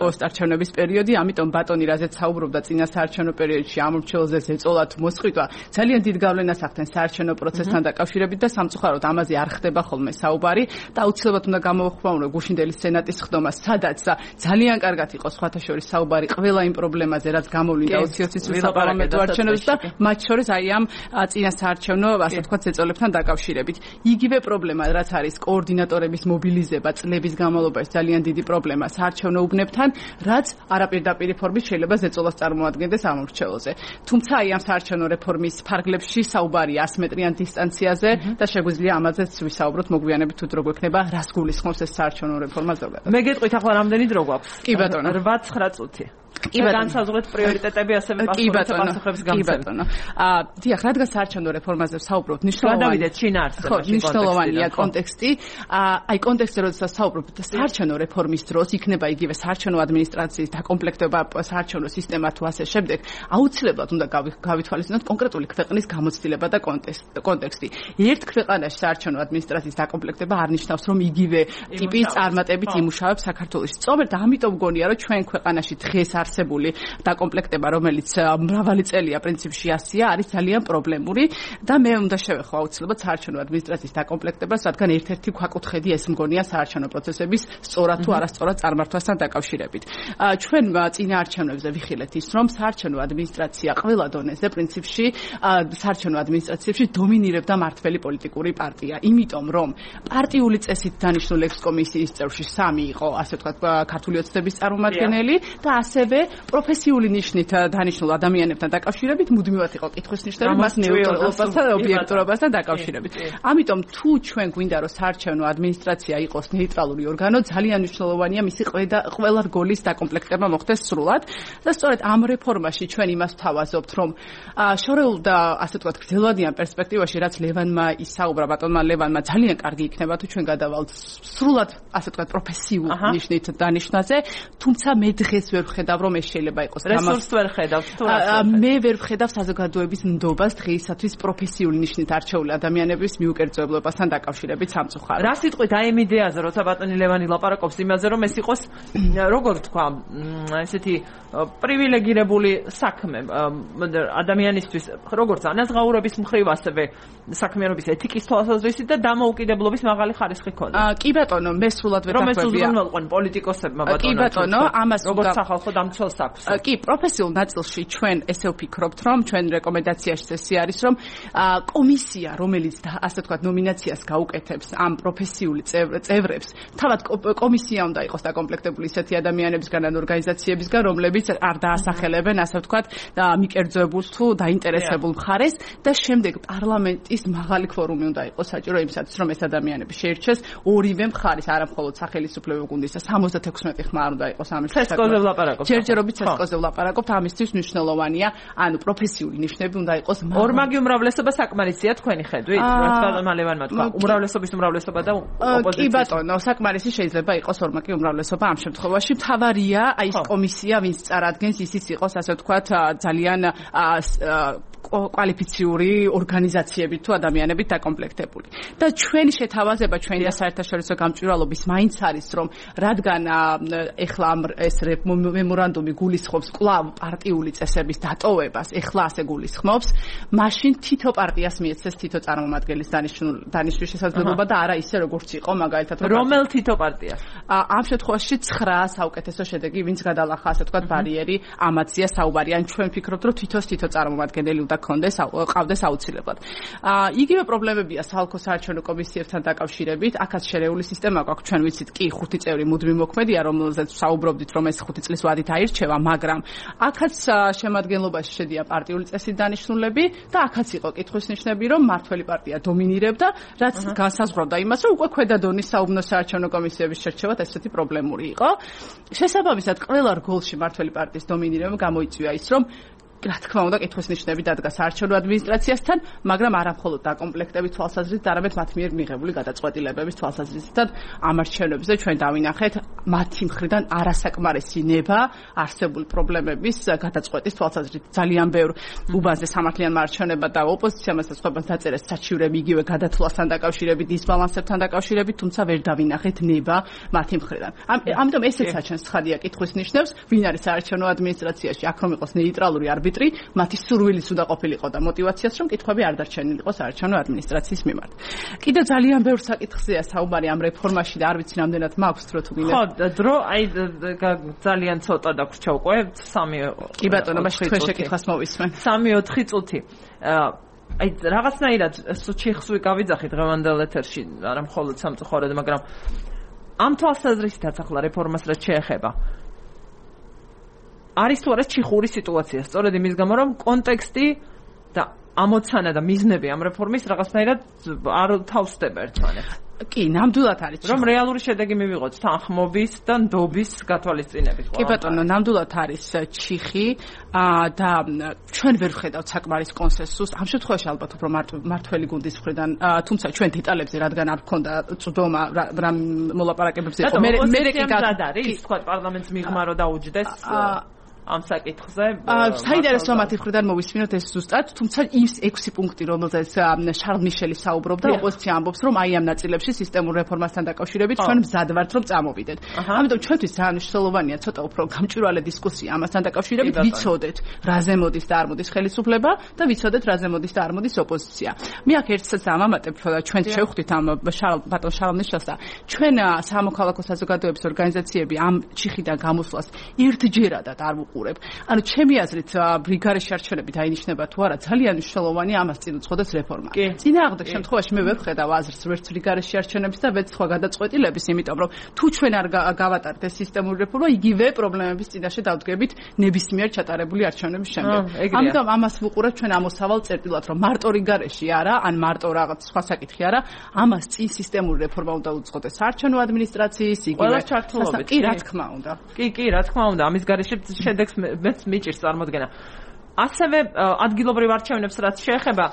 პოსტ არჩევნების პერიოდი, ამიტომ ბატონი რაზეც საუბრობდა წინა საარჩევნო პერიოდში ამორჩეულზე ზეწოლა თუ მოსყიდვა, ძალიან დიდ გავლენას ახდენს საარჩევნო პროცესთან დაკავშირებით და სამწუხაროდ ამაზე არ ხდება ხოლმე საუბარი და აუცილებლად უნდა გამოვხმაურო გუშინდელი სენატის ხდომა, სადაც ძალიან კარგად იყო სხვათა შორის საუბარი ყველა იმ პრობლემაზე, რაც გამოვლინდა 2020 წლის საპარლამენტო არჩევნებში და მათ შორის აი ამ წინა საარჩევნო, ასე ვთქვათ, ზეწოლებთან დაკავშირებით. იგივე პრობლემა, რაც არის კოორდინატორების მობილიზება წლების განმავლობაში, ძალიან დიდი პრობლემა საარჩევნო უბნებთან, რაც არაპირდაპირი ფორმით შეიძლება ზეწოლას წარმოადგენდეს ამორჩეულზე. თუმცა აი ამ საარჩევნო რეფორმის ფარგლებში საუბარია 100 მეტრიან დისტანციაზე და შეგვიძლია ამაზეც ვისაუბროთ მოგვიანებით თუ დრო გვექნება რას გულისხმობს ეს საარჩევნო რეფორმა ზოგადად. მე გეტყვით ახლა რამდენი დრო გვაქვს? კი ბატონო. 8-9 წუთი. განსაზღვრეთ პრიორიტეტები ასევე პასუხების გამცემ. დიახ, რადგან საარჩევნო რეფორმაზე საუბრობთ, მნიშვნელოვანია კონტექსტი. აი კონტექსტზე როდესაც საუბრობთ საარჩევნო რეფორმის დროს იქნება იგივე საარჩევნო ადმინისტრაციის დაკომპლექტება, საარჩევნო სისტემა თუ ასე შემდეგ, აუცილებლად უნდა გავითვალისწინოთ კონკრეტული ქვეყნის გამოცდილება და კონტექსტი. ერთ ქვეყანაში საარჩევნო ადმინისტრაციის დაკომპლექტება არ ნიშნავს, რომ იგივე ტიპის წარმატებით იმუშავებს საქართველოში. სწორედ ამიტომ გონია, რომ ჩვენ ქვეყანაში დღეს არსებული დაკომპლექტება, რომელიც მრავალი წელია პრინციპში ასია, არის ძალიან პრობლემური და მე უნდა შევეხო აუცილებლად საარჩევნო ადმინისტრაციის დაკომპლექტებას, რადგან ერთ-ერთი ქვაკუთხედი ეს მგონია საარჩევნო პროცესების სწორად თუ არასწორად წარმართვასთან დაკავშირებით. ჩვენ წინაარჩევნებზე ვიხილეთ ის, რომ საარჩევნო ადმინისტრაცია ყველა დონეზე პრინციპში საარჩევნო ადმინისტრაციებში დომინირებდა მართველი პოლიტიკური პარტია, იმიტომ რომ პარტიული წესით დანიშნულ ექსკომისიის წევრში 3 იყო, ასე ვთქვათ, ქართული ოცნების წარმომადგენელი და ასევე პროფესიული ნიშნით დანიშნულ ადამიანებთან დაკავშირებით მუდმივად იყო კითხვის ნიშნები მას ნეიტრალობასთან და ობიექტურობასთან დაკავშირებით. ამიტომ თუ ჩვენ გვინდა რომ საარჩევნო ადმინისტრაცია იყოს ნეიტრალური ორგანო, ძალიან მნიშვნელოვანია მისი ყველა რგოლის დაკომპლექტება მოხდეს სრულად და სწორედ ამ რეფორმაში ჩვენ იმას ვთავაზობთ, რომ შორეულ და ასე ვთქვათ გრძელვადიან პერსპექტივაში, რაც ლევანმა ისაუბრა, ბატონმა ლევანმა, ძალიან კარგი იქნება თუ ჩვენ გადავალთ სრულად ასე ვთქვათ პროფესიულ ნიშნით დანიშნაზე, თუმცა მე დღეს ვერ ვხედავ, რომ ეს შეიძლება იყოს. რესურსს ვერ ხედავთ თუ რა? მე ვერ ვხედავ საზოგადოების ნდობას დღეისათვის პროფესიული ნიშნით არჩეული ადამიანების მიუკერძოებლობასთან დაკავშირებით სამწუხაროდ. რა სიტყვით აი იმ იდეაზე, როცა ბატონი ლევანი ლაპარაკობს იმაზე, რომ ეს იყოს როგორ თქვა, ესეთი პრივილეგირებული საქმე ადამიანისთვის, როგორც ანაზღაურების მხრივ, ასევე საქმიანობის ეთიკის თვალსაზრისით და დამოუკიდებლობის მაღალი ხარისხი ქონდა. კი ბატონო, მე სრულად ვერ დაკვებია. რომ ეს უზრუნველყვენ პოლიტიკოსებმა ბატონო. კი ბატონო, ამას როგორც სახალხო დამცველს აქვს. კი, პროფესიულ ნაწილში ჩვენ ესე ვფიქრობთ, რომ ჩვენ რეკომენდაციაში წესი არის, რომ კომისია, რომელიც ასე ვთქვათ ნომინაციას გაუკეთებს ამ პროფესიული წევრებს, თავად კომისია უნდა იყოს დაკომპლექტებული ისეთი ადამიანებისგან ან ორგანიზაციებისგან, რომლებიც არ დაასახელებენ, ასე ვთქვათ, მიკერძოებულს თუ დაინტერესებულ მხარეს და შემდეგ პარლამენტის მაღალი კვორუმი უნდა იყოს საჭირო იმისათვის, რომ ეს ადამიანები შეირჩეს ორივე მხარის, არა მხოლოდ სახელმწიფო გუნდისა 76 ხმარ უნდა იყოს ამის ცესკოზე ვლაპარაკობთ. ჯერჯერობით ცესკოზე ვლაპარაკობთ, ამისთვის მნიშვნელოვანია, ანუ პროფესიული ნიშნები უნდა იყოს. ორმაგი უმრავლესობა საკმარისია თქვენი ხედვით, რაც ბატონმა ლევანმა თქვა, უმრავლესობის უმრავლესობა და ოპოზიციის. კი ბატონო, საკმარისი შეიძლება იყოს ორმაგი უმრავლესობა ამ შემთხვევაში. მთავარია აი ეს კომისია, ვინც წარადგენს, ისიც იყოს, ასე ვთქვათ, ძალიან კვალიფიციური ორგანიზაციებით თუ ადამიანებით დაკომპლექტებული. და ჩვენი შეთავაზება, ჩვენი და საერთაშორისო გამჭვირვალობის მაინც არის, რომ რადგან ეხლა ეს მემორანდუმი გულისხმობს კვლავ პარტიული წესების დატოვებას, ეხლა ასე გულისხმობს, მაშინ თითო პარტიას მიეცეს თითო წარმომადგენლის დანიშნვის შესაძლებლობა და არა ისე როგორც იყო მაგალითად რომელ თითო პარტიას? ამ შემთხვევაში 9 საუკეთესო შედეგი, ვინც გადალახა, ასე ვთქვათ, ბარიერი, ამაცია საუბარი. ან ჩვენ ვფიქრობთ, რომ თითო წარმომადგენელი უნდა ყავდეს აუცილებლად. იგივე პრობლემებია საალკო საარჩევნო კომისიებთან დაკავშირებით. აქაც შერეული სისტემა გვაქვს, ჩვენ ვიცით, კი 5 წევრი მუდმივ მოქმედია, რომელზეც საუბრობდით, რომ ეს 5 წლის ვადით აირჩევა, მაგრამ აქაც შემადგენლობაში შედიან პარტიული წესით დანიშნულები და აქაც იყო კითხვის ნიშნები, რომ მართველი პარტია დომინირებდა, რაც განსაზღვრავდა იმას, რომ უკვე ქვედა დონის საუბნო საარჩევნო კომისიების შერჩევად ესეთი პრობლემური იყო. შესაბამისად, ყველა რგოლში მართველი პარტიის დომინირება გამოიწვია ის, რომ რა თქმა უნდა, კითხვის ნიშნები დადგა საარჩევნო ადმინისტრაციასთან, მაგრამ არა მხოლოდ დაკომპლექტების თვალსაზრისით, არამედ მათ მიერ მიღებული გადაწყვეტილებების თვალსაზრისით. ამ არჩევნებზე ჩვენ დავინახეთ მათი მხრიდან არასაკმარისი ნება არსებული პრობლემების გადაწყვეტის თვალსაზრისით. ძალიან ბევრ უბანზე სამართლიან არჩევნებად და ოპოზიციამ ასწავლებას დაწერეს საჩივრები იგივე გადათვლასთან დაკავშირებით, დისბალანსებთან დაკავშირებით, თუმცა ვერ დავინახეთ ნება მათი მხრიდან. ამიტომ ესეც საჩვენს ცხადია კითხვის ნიშნებს, ვინ არის საარჩევნო ადმინისტრაციაში, აქ რომ იყოს ნეიტრალური არბიტრი, მათი სურვილიც უნდა ყოფილიყო და მოტივაციაც, რომ კითხვები არ დარჩენილიყო საარჩევნო ადმინისტრაციის მიმართ. კიდევ ძალიან ბევრ საკითხზეა საუბარი ამ რეფორმაში და არ ვიცი რამდენად მაქვს დრო თუ გინდა. ხო, დრო აი ძალიან ცოტა დაგვრჩა უკვე 3. კი ბატონო, მაშინ თქვენ შეკითხვას მოვისმენ. 3-4 წუთი. აი რაღაცნაირად ჩიხსვი გავიძახით დღევანდელ ეთერში, არა მხოლოდ სამწუხაროდ, მაგრამ ამ თვალსაზრისითაც ახლა რეფორმას რაც შეეხება. არის თუ არა ჩიხური სიტუაცია, სწორედ იმის გამო, რომ კონტექსტი და ამოცანა და მიზნები ამ რეფორმის რაღაცნაირად არ თავსდება ერთმანეთს. კი, ნამდვილად არის. რომ რეალური შედეგი მივიღოთ თანხმობის და ნდობის გათვალისწინებით. კი ბატონო, ნამდვილად არის ჩიხი და ჩვენ ვერ ვხედავთ საკმარის კონსენსუსს. ამ შემთხვევაში ალბათ უფრო მართველი გუნდის მხრიდან, თუმცა ჩვენ დეტალებზე რადგან არ გქონდა წვდომა რამ მოლაპარაკებებზე იყო. მე კი არის, თქვა პარლამენტს მიღმა რომ დაუჯდეს ამ საკითხზე. საინტერესოა მათი მხრიდან მოვისმინოთ ეს ზუსტად, თუმცა ის 6 პუნქტი, რომელზეც შარლ მიშელი საუბრობდა, ოპოზიცია ამბობს, რომ აი ამ ნაწილებში სისტემურ რეფორმასთან დაკავშირებით ჩვენ მზად ვართ, რომ წამოვიდეთ. ამიტომ ჩვენთვის ძალიან მნიშვნელოვანია ცოტა უფრო გამჭვირვალე დისკუსია ამასთან დაკავშირებით, ვიცოდეთ, რაზე მოდის და არ მოდის ხელისუფლება და ვიცოდეთ, რაზე მოდის და არ მოდის ოპოზიცია. მე აქ ერთსაც ამამატებ, ჩვენ შევხვდით ამ ბატონ შარლ მიშელს და ჩვენ სამოქალაქო საზოგადოების ორგანიზაციები ამ ჩიხიდან გამოსვლას ერთჯერადად არ ანუ ჩემი აზრით ბრიგადაში არჩევნები დაინიშნება თუ არა ძალიან მნიშვნელოვანია ამას წინ უძღოდეს რეფორმა. წინააღმდეგ შემთხვევაში მე ვერ ვხედავ აზრს ვერც ბრიგადაში არჩევნების და ვერც სხვა გადაწყვეტილების, იმიტომ რომ თუ ჩვენ არ გავატართ ეს სისტემური რეფორმა, იგივე პრობლემების წინაშე დავდგებით ნებისმიერ ჩატარებული არჩევნების შემდეგ. ამიტომ ამას ვუყურებთ ჩვენ ამოსავალ წერტილად, რომ მარტო რიგარეში არა, ან მარტო რაღაც სხვა საკითხი არა, ამას წინ სისტემური რეფორმა უნდა უძღოდეს საარჩევნო ადმინისტრაციის, იგივე ჩართულობით. კი, რა თქმა უნდა. კი, რა თქმა უნდა, ამის გარეშე შედეგს მეც მიჭირს წარმოდგენა. ასევე ადგილობრივ არჩევნებს რაც შეეხება,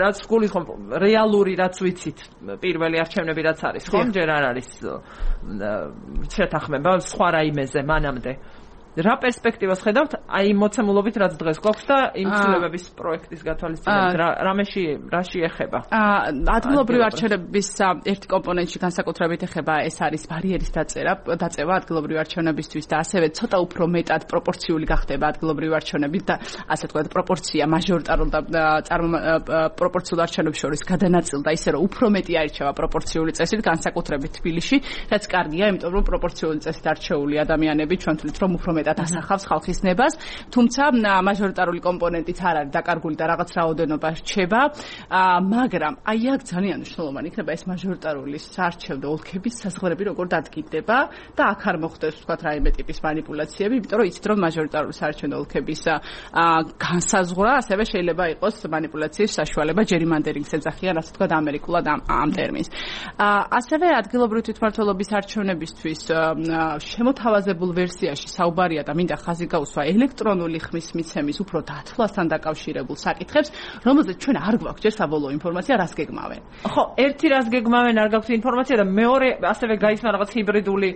რაც გულისხმობ რეალური რაც ვიცით, პირველი არჩევნები რაც არის, ხომ? ჯერ არ არის შეთანხმება სხვა რაიმეზე მანამდე. რა პერსპექტივას ხედავთ აი მოცემულობით რაც დღეს გვაქვს და იმ ცვლილებების პროექტის გათვალისწინებით რაში ეხება? ადგილობრივ არჩევნების ერთი კომპონენტი განსაკუთრებით ეხება ეს არის ბარიერის დაწევა ადგილობრივ არჩევნებისთვის და ასევე ცოტა უფრო მეტად პროპორციული გახდება ადგილობრივ არჩევნები და ასე ვთქვათ პროპორცია მაჟორიტარულ და პროპორციულ არჩევნებს შორის გადანაწილდა ისე რომ უფრო მეტი აირჩევა პროპორციული წესით განსაკუთრებით თბილისში, რაც კარგია, იმიტომ რომ პროპორციული წესით არჩეული ადამიანები ჩვენ თვლით რომ უფრო მეტად ასახავს ხალხის ნებას, თუმცა მაჟორიტარული კომპონენტიც არ არის დაკარგული და რაღაც რაოდენობა რჩება, მაგრამ აი აქ ძალიან მნიშვნელოვანი იქნება ეს მაჟორიტარული საარჩევნო ოლქების საზღვრები როგორ დადგინდება და აქ არ მოხდეს ვთქვათ რაიმე ტიპის манипуляციები, იმიტომ რომ იცით რომ მაჟორიტარული საარჩევნო ოლქების განსაზღვრა ასევე შეიძლება იყოს манипуляციის საშუალება ჯერიმანდერინგს ეძახიან, ასე ვთქვათ ამერიკულად ამ ტერმინს. ასევე ადგილობრივი თვითმმართველობის არჩევნებისთვის შემოთავაზებულ ვერსიაში საუბარია და მინდა ხაზი გაუსვა ელექტრონული ხმის მიცემის უფრო დათვლასთან დაკავშირებულ საკითხებს, რომელზეც ჩვენ არ გვაქვს ჯერ საბოლოო ინფორმაცია, რას გეგმავენ. ხო, ერთი რას გეგმავენ, არ გაქვთ ინფორმაცია და მეორე ასევე გაიცნო რაღაც ჰიბრიდული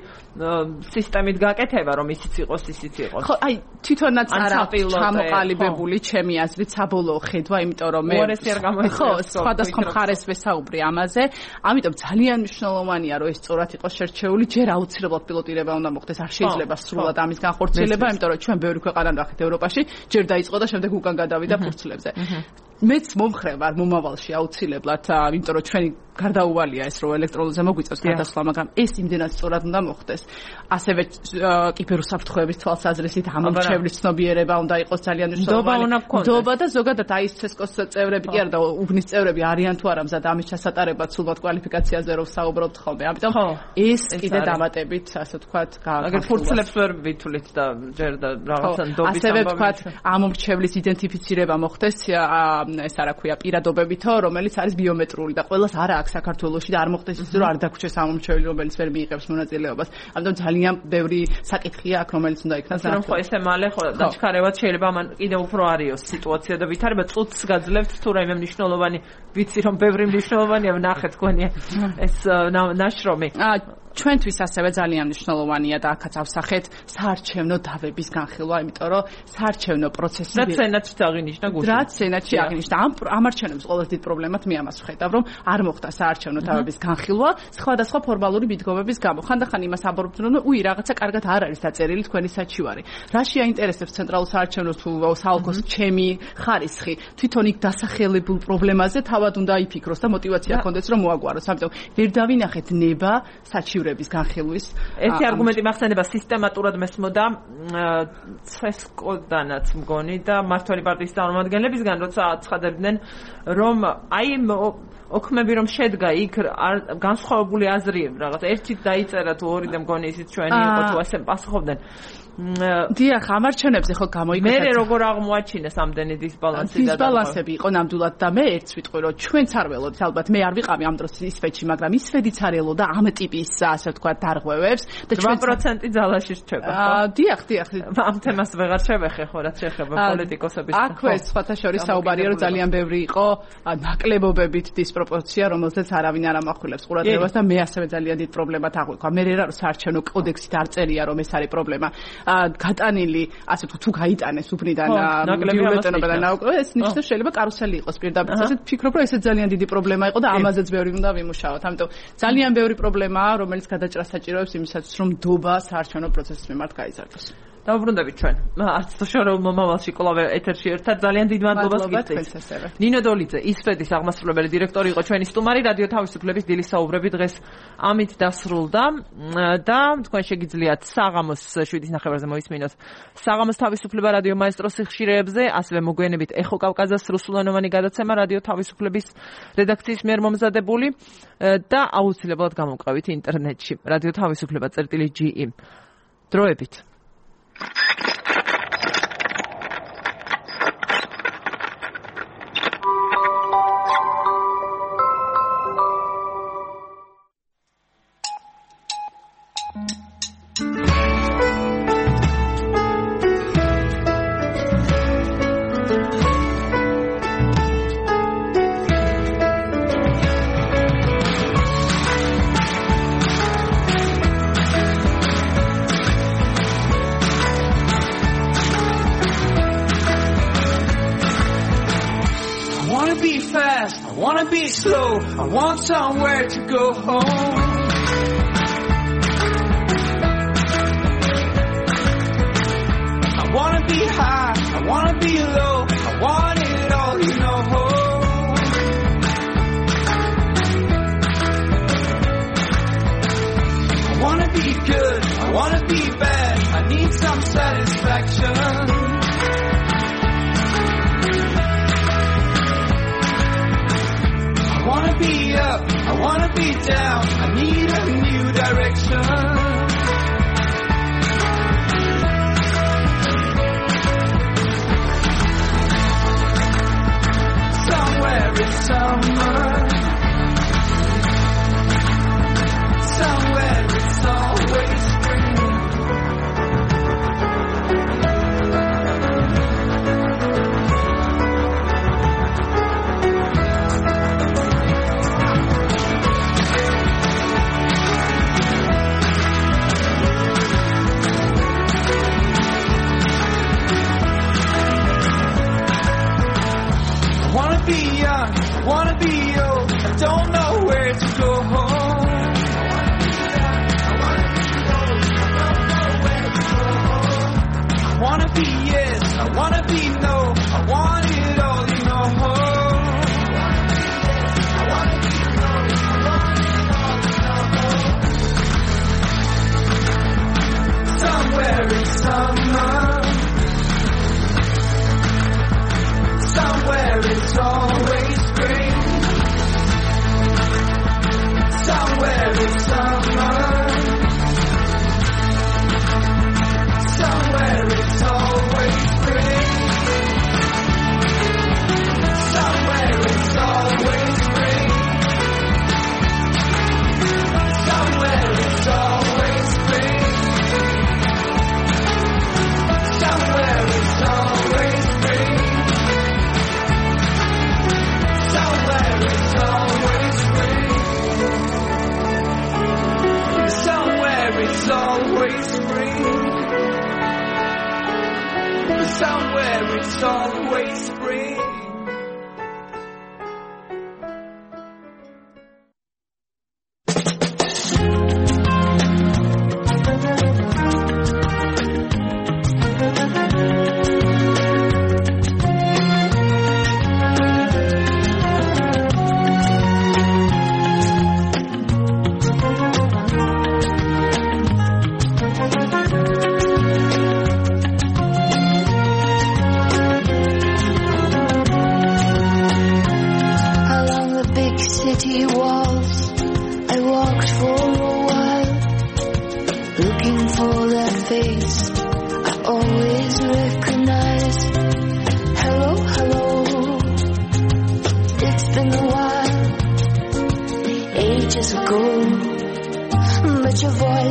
სისტემით გაკეთება, რომ ისიც იყოს, ისიც იყოს. ხო, აი თვითონაც არ არის ჩამოყალიბებული ჩემი აზრით საბოლოო ხედვა, იმიტომ რომ მე ხო, სხვადასხვა მხარეს ვესაუბრე ამაზე, ამიტომ ძალიან მნიშვნელოვანია, რომ ეს სწორად იყოს შერჩეული, ჯერ აუცილებლად პილოტირება უნდა მოხდეს, არ შეიძლება სრულად ამის განხორციელება, იმიტომ რომ ჩვენ ბევრი ქვეყანა ვახეთ ევროპაში, ჯერ დაიწყო და შემდეგ უკან გადავიდა ფურცლებზე. მეც მომხრე ვარ მომავალში აუცილებლად, იმიტომ რომ ჩვენი გარდაუვალია ეს რომ ელექტრონულზე მოგვიწევს გადასვლა, მაგრამ ეს იმდენად სწორად უნდა მოხდეს. ასევე კიბერუსაფრთხოების თვალსაზრისით ამომრჩევლის ცნობიერება უნდა იყოს ძალიან მნიშვნელოვანი. ნდობა და ზოგადად აი ცესკოს წევრები კი არა და უბნის წევრები არიან თუ არა მზად ამის ჩასატარებლად სულბად კვალიფიკაციაზე რომ საუბრობთ ხოლმე. ამიტომ ეს კიდე დამატებით, ასე ვთქვათ, აგერ ფურცლებს ვერ ვითვლით და ჯერ და რაღაცა ნდობის ასევე ვთქვათ ამომრჩევლის იდენტიფიცირება მოხდეს ეს არა ქვია პირადობებითო, რომელიც არის ბიომეტრიული და ყველას არა აქვს საქართველოში და არ მოხდეს ისე რომ არ დაგვრჩეს ამომრჩეველი, რომელიც ვერ მიიღებს მონაწილეობას. ამიტომ ძალიან ბევრი საკითხია აქ, რომელიც უნდა იქნას ნახო. ხო, ესე მალე ხო დაჩქარებად შეიძლება მან კიდევ უფრო არიოს სიტუაცია და ვითარება წუთს გაძლევთ თუ რაიმე მნიშვნელოვანი ვიცი რომ ბევრი მნიშვნელოვანია ვნახეთ თქვენი ეს ნაშრომი. ჩვენთვის ასევე ძალიან მნიშვნელოვანია და აქაც ავსახეთ საარჩევნო დავების განხილვა, იმიტომ რომ საარჩევნო პროცესი რაც სენატში აღინიშნა გუშინ. რაც სენატში აღინიშნა. ამ არჩევნების ყველაზე დიდ პრობლემად მე ამას ვხედავ, რომ არ მოხდა საარჩევნო დავების განხილვა სხვადასხვა ფორმალური მიდგომების გამო. ხანდახან იმას ამბობთ, რომ უი რაღაცა კარგად არ არის დაწერილი თქვენი საჩივარი. რაში აინტერესებს ცენტრალურ საარჩევნოს თუ საოლქოს ჩემი ხარისხი, თვითონ იქ დასახელებულ პრობლემაზე თავად უნდა იფიქროს და мотиваცია ჰქონდეს რომ მოაგვაროს. ამიტომ ვერ დავინახეთ ნება საჩივრების განხილვის. ერთი არგუმენტი მახსენდება სისტემატურად მესმოდა ცესკოდანაც მგონი და მართველი პარტიის წარმომადგენლებისგან, როცა აცხადებდნენ, რომ აი ოქმები რომ შედგა იქ განსხვავებული აზრი რაღაც ერთი დაიწერა თუ ორი და მგონი ისიც ჩვენი იყო თუ ასე პასუხობდნენ. დიახ, ამარჩენებზე ხო გამოიკვეთა. მე როგორ აღმოაჩინეს ამდენი დისბალანსი და დისბალანსები იყო ნამდვილად და მე ერთს ვიტყვი რომ ჩვენც არ ველოდით ალბათ მე არ ვიყავი ამ დროს ისვედში, მაგრამ ისვედიც არ ელოდა ამ ტიპის ასე ვთქვათ დარღვევებს და 8% ძალაში რჩება ხო? დიახ. ამ თემას ვეღარ შევეხე ხო რაც შეეხება პოლიტიკოსების. აქვე სხვათა შორის საუბარია რომ ძალიან ბევრი იყო ნაკლებობებით დისპროპორცია, რომელზეც არავინ არ ამახვილებს ყურადღებას და მე ასევე ძალიან დიდ პრობლემად აღვიქვა. მე რა რომ საარჩევნო კოდექსით არ წერია რომ ეს არის პრობლემა. გატანილი, ასე თუ გაიტანეს უბნიდან ბიულეტენობა და ეს ნიშნავს შეიძლება კარუსელი იყოს პირდაპირ. ასეთ ვფიქრობ რომ ესეც ძალიან დიდი პრობლემა იყო და ამაზეც ბევრი უნდა ვიმუშაოთ. ამიტომ ძალიან ბევრი პრობლემაა, რომელიც გადაჭრას საჭიროებს იმისათვის რომ დობა საარჩევნო პროცესის მიმართ გაიზარდოს. დავუბრუნდებით ჩვენ. არც შორო მომავალში კლავე ეთერში ერთად ძალიან დიდ მადლობას გიხდით. ნინო დოლიძე, ისვედის აღმასრულებელი დირექტორი იყო ჩვენი სტუმარი, რადიო თავისუფლების დილის საუბრები დღეს ამით დასრულდა და თქვენ შეგიძლიათ საღამოს 7:30-ზე მოისმინოთ საღამოს თავისუფლება რადიო მაესტროს სიხშირეებზე, ასევე მოგვიანებით ეხო კავკაზას რუსულენოვანი გადაცემა რადიო თავისუფლების რედაქციის მიერ მომზადებული და აუცილებლად გამოვყავით ინტერნეტში რადიო თავისუფლება.ge. დროებით. I want somewhere to go home. I wanna be high, I wanna be low, I want it all, you know. I wanna be good, I wanna be bad, I need some satisfaction. I wanna be up, I wanna be down, I need a new direction. Somewhere it's summer, somewhere it's always spring. Be young, wanna be old, I don't know where to go home. I wanna be yes, I wanna be no, I want it all, you know. Somewhere in summer, somewhere it's always spring. Somewhere it's summer, somewhere it's always spring. Somewhere it's always spring. Somewhere it's always spring. Somewhere it's always spring. Somewhere it's always spring. Somewhere it's always spring. Somewhere it's always spring.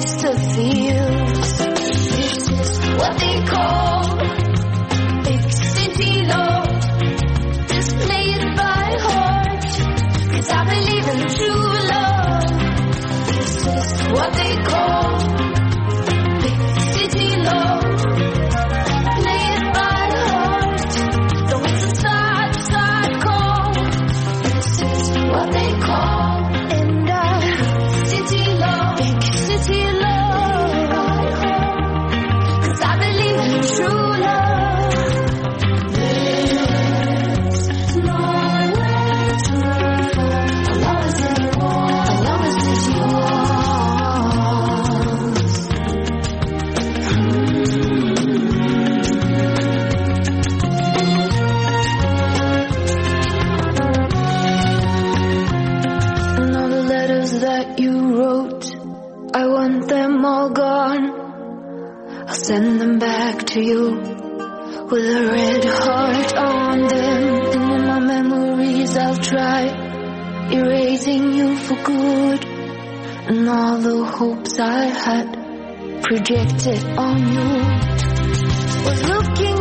used to feel. This is what they call big city love. Just play it by heart, 'cause I believe in true love. This is what they call big city love. Play it by heart, though it's a sad call. This is what they call city love, big city love. 'Cause I believe in true love. There's nowhere to go. As long as it's yours, as long as it's yours. And all the letters that you wrote, I want them all gone. I'll send them back to you with a red heart on them. And in my memories I'll try erasing you for good. And all the hopes I had projected on you was looking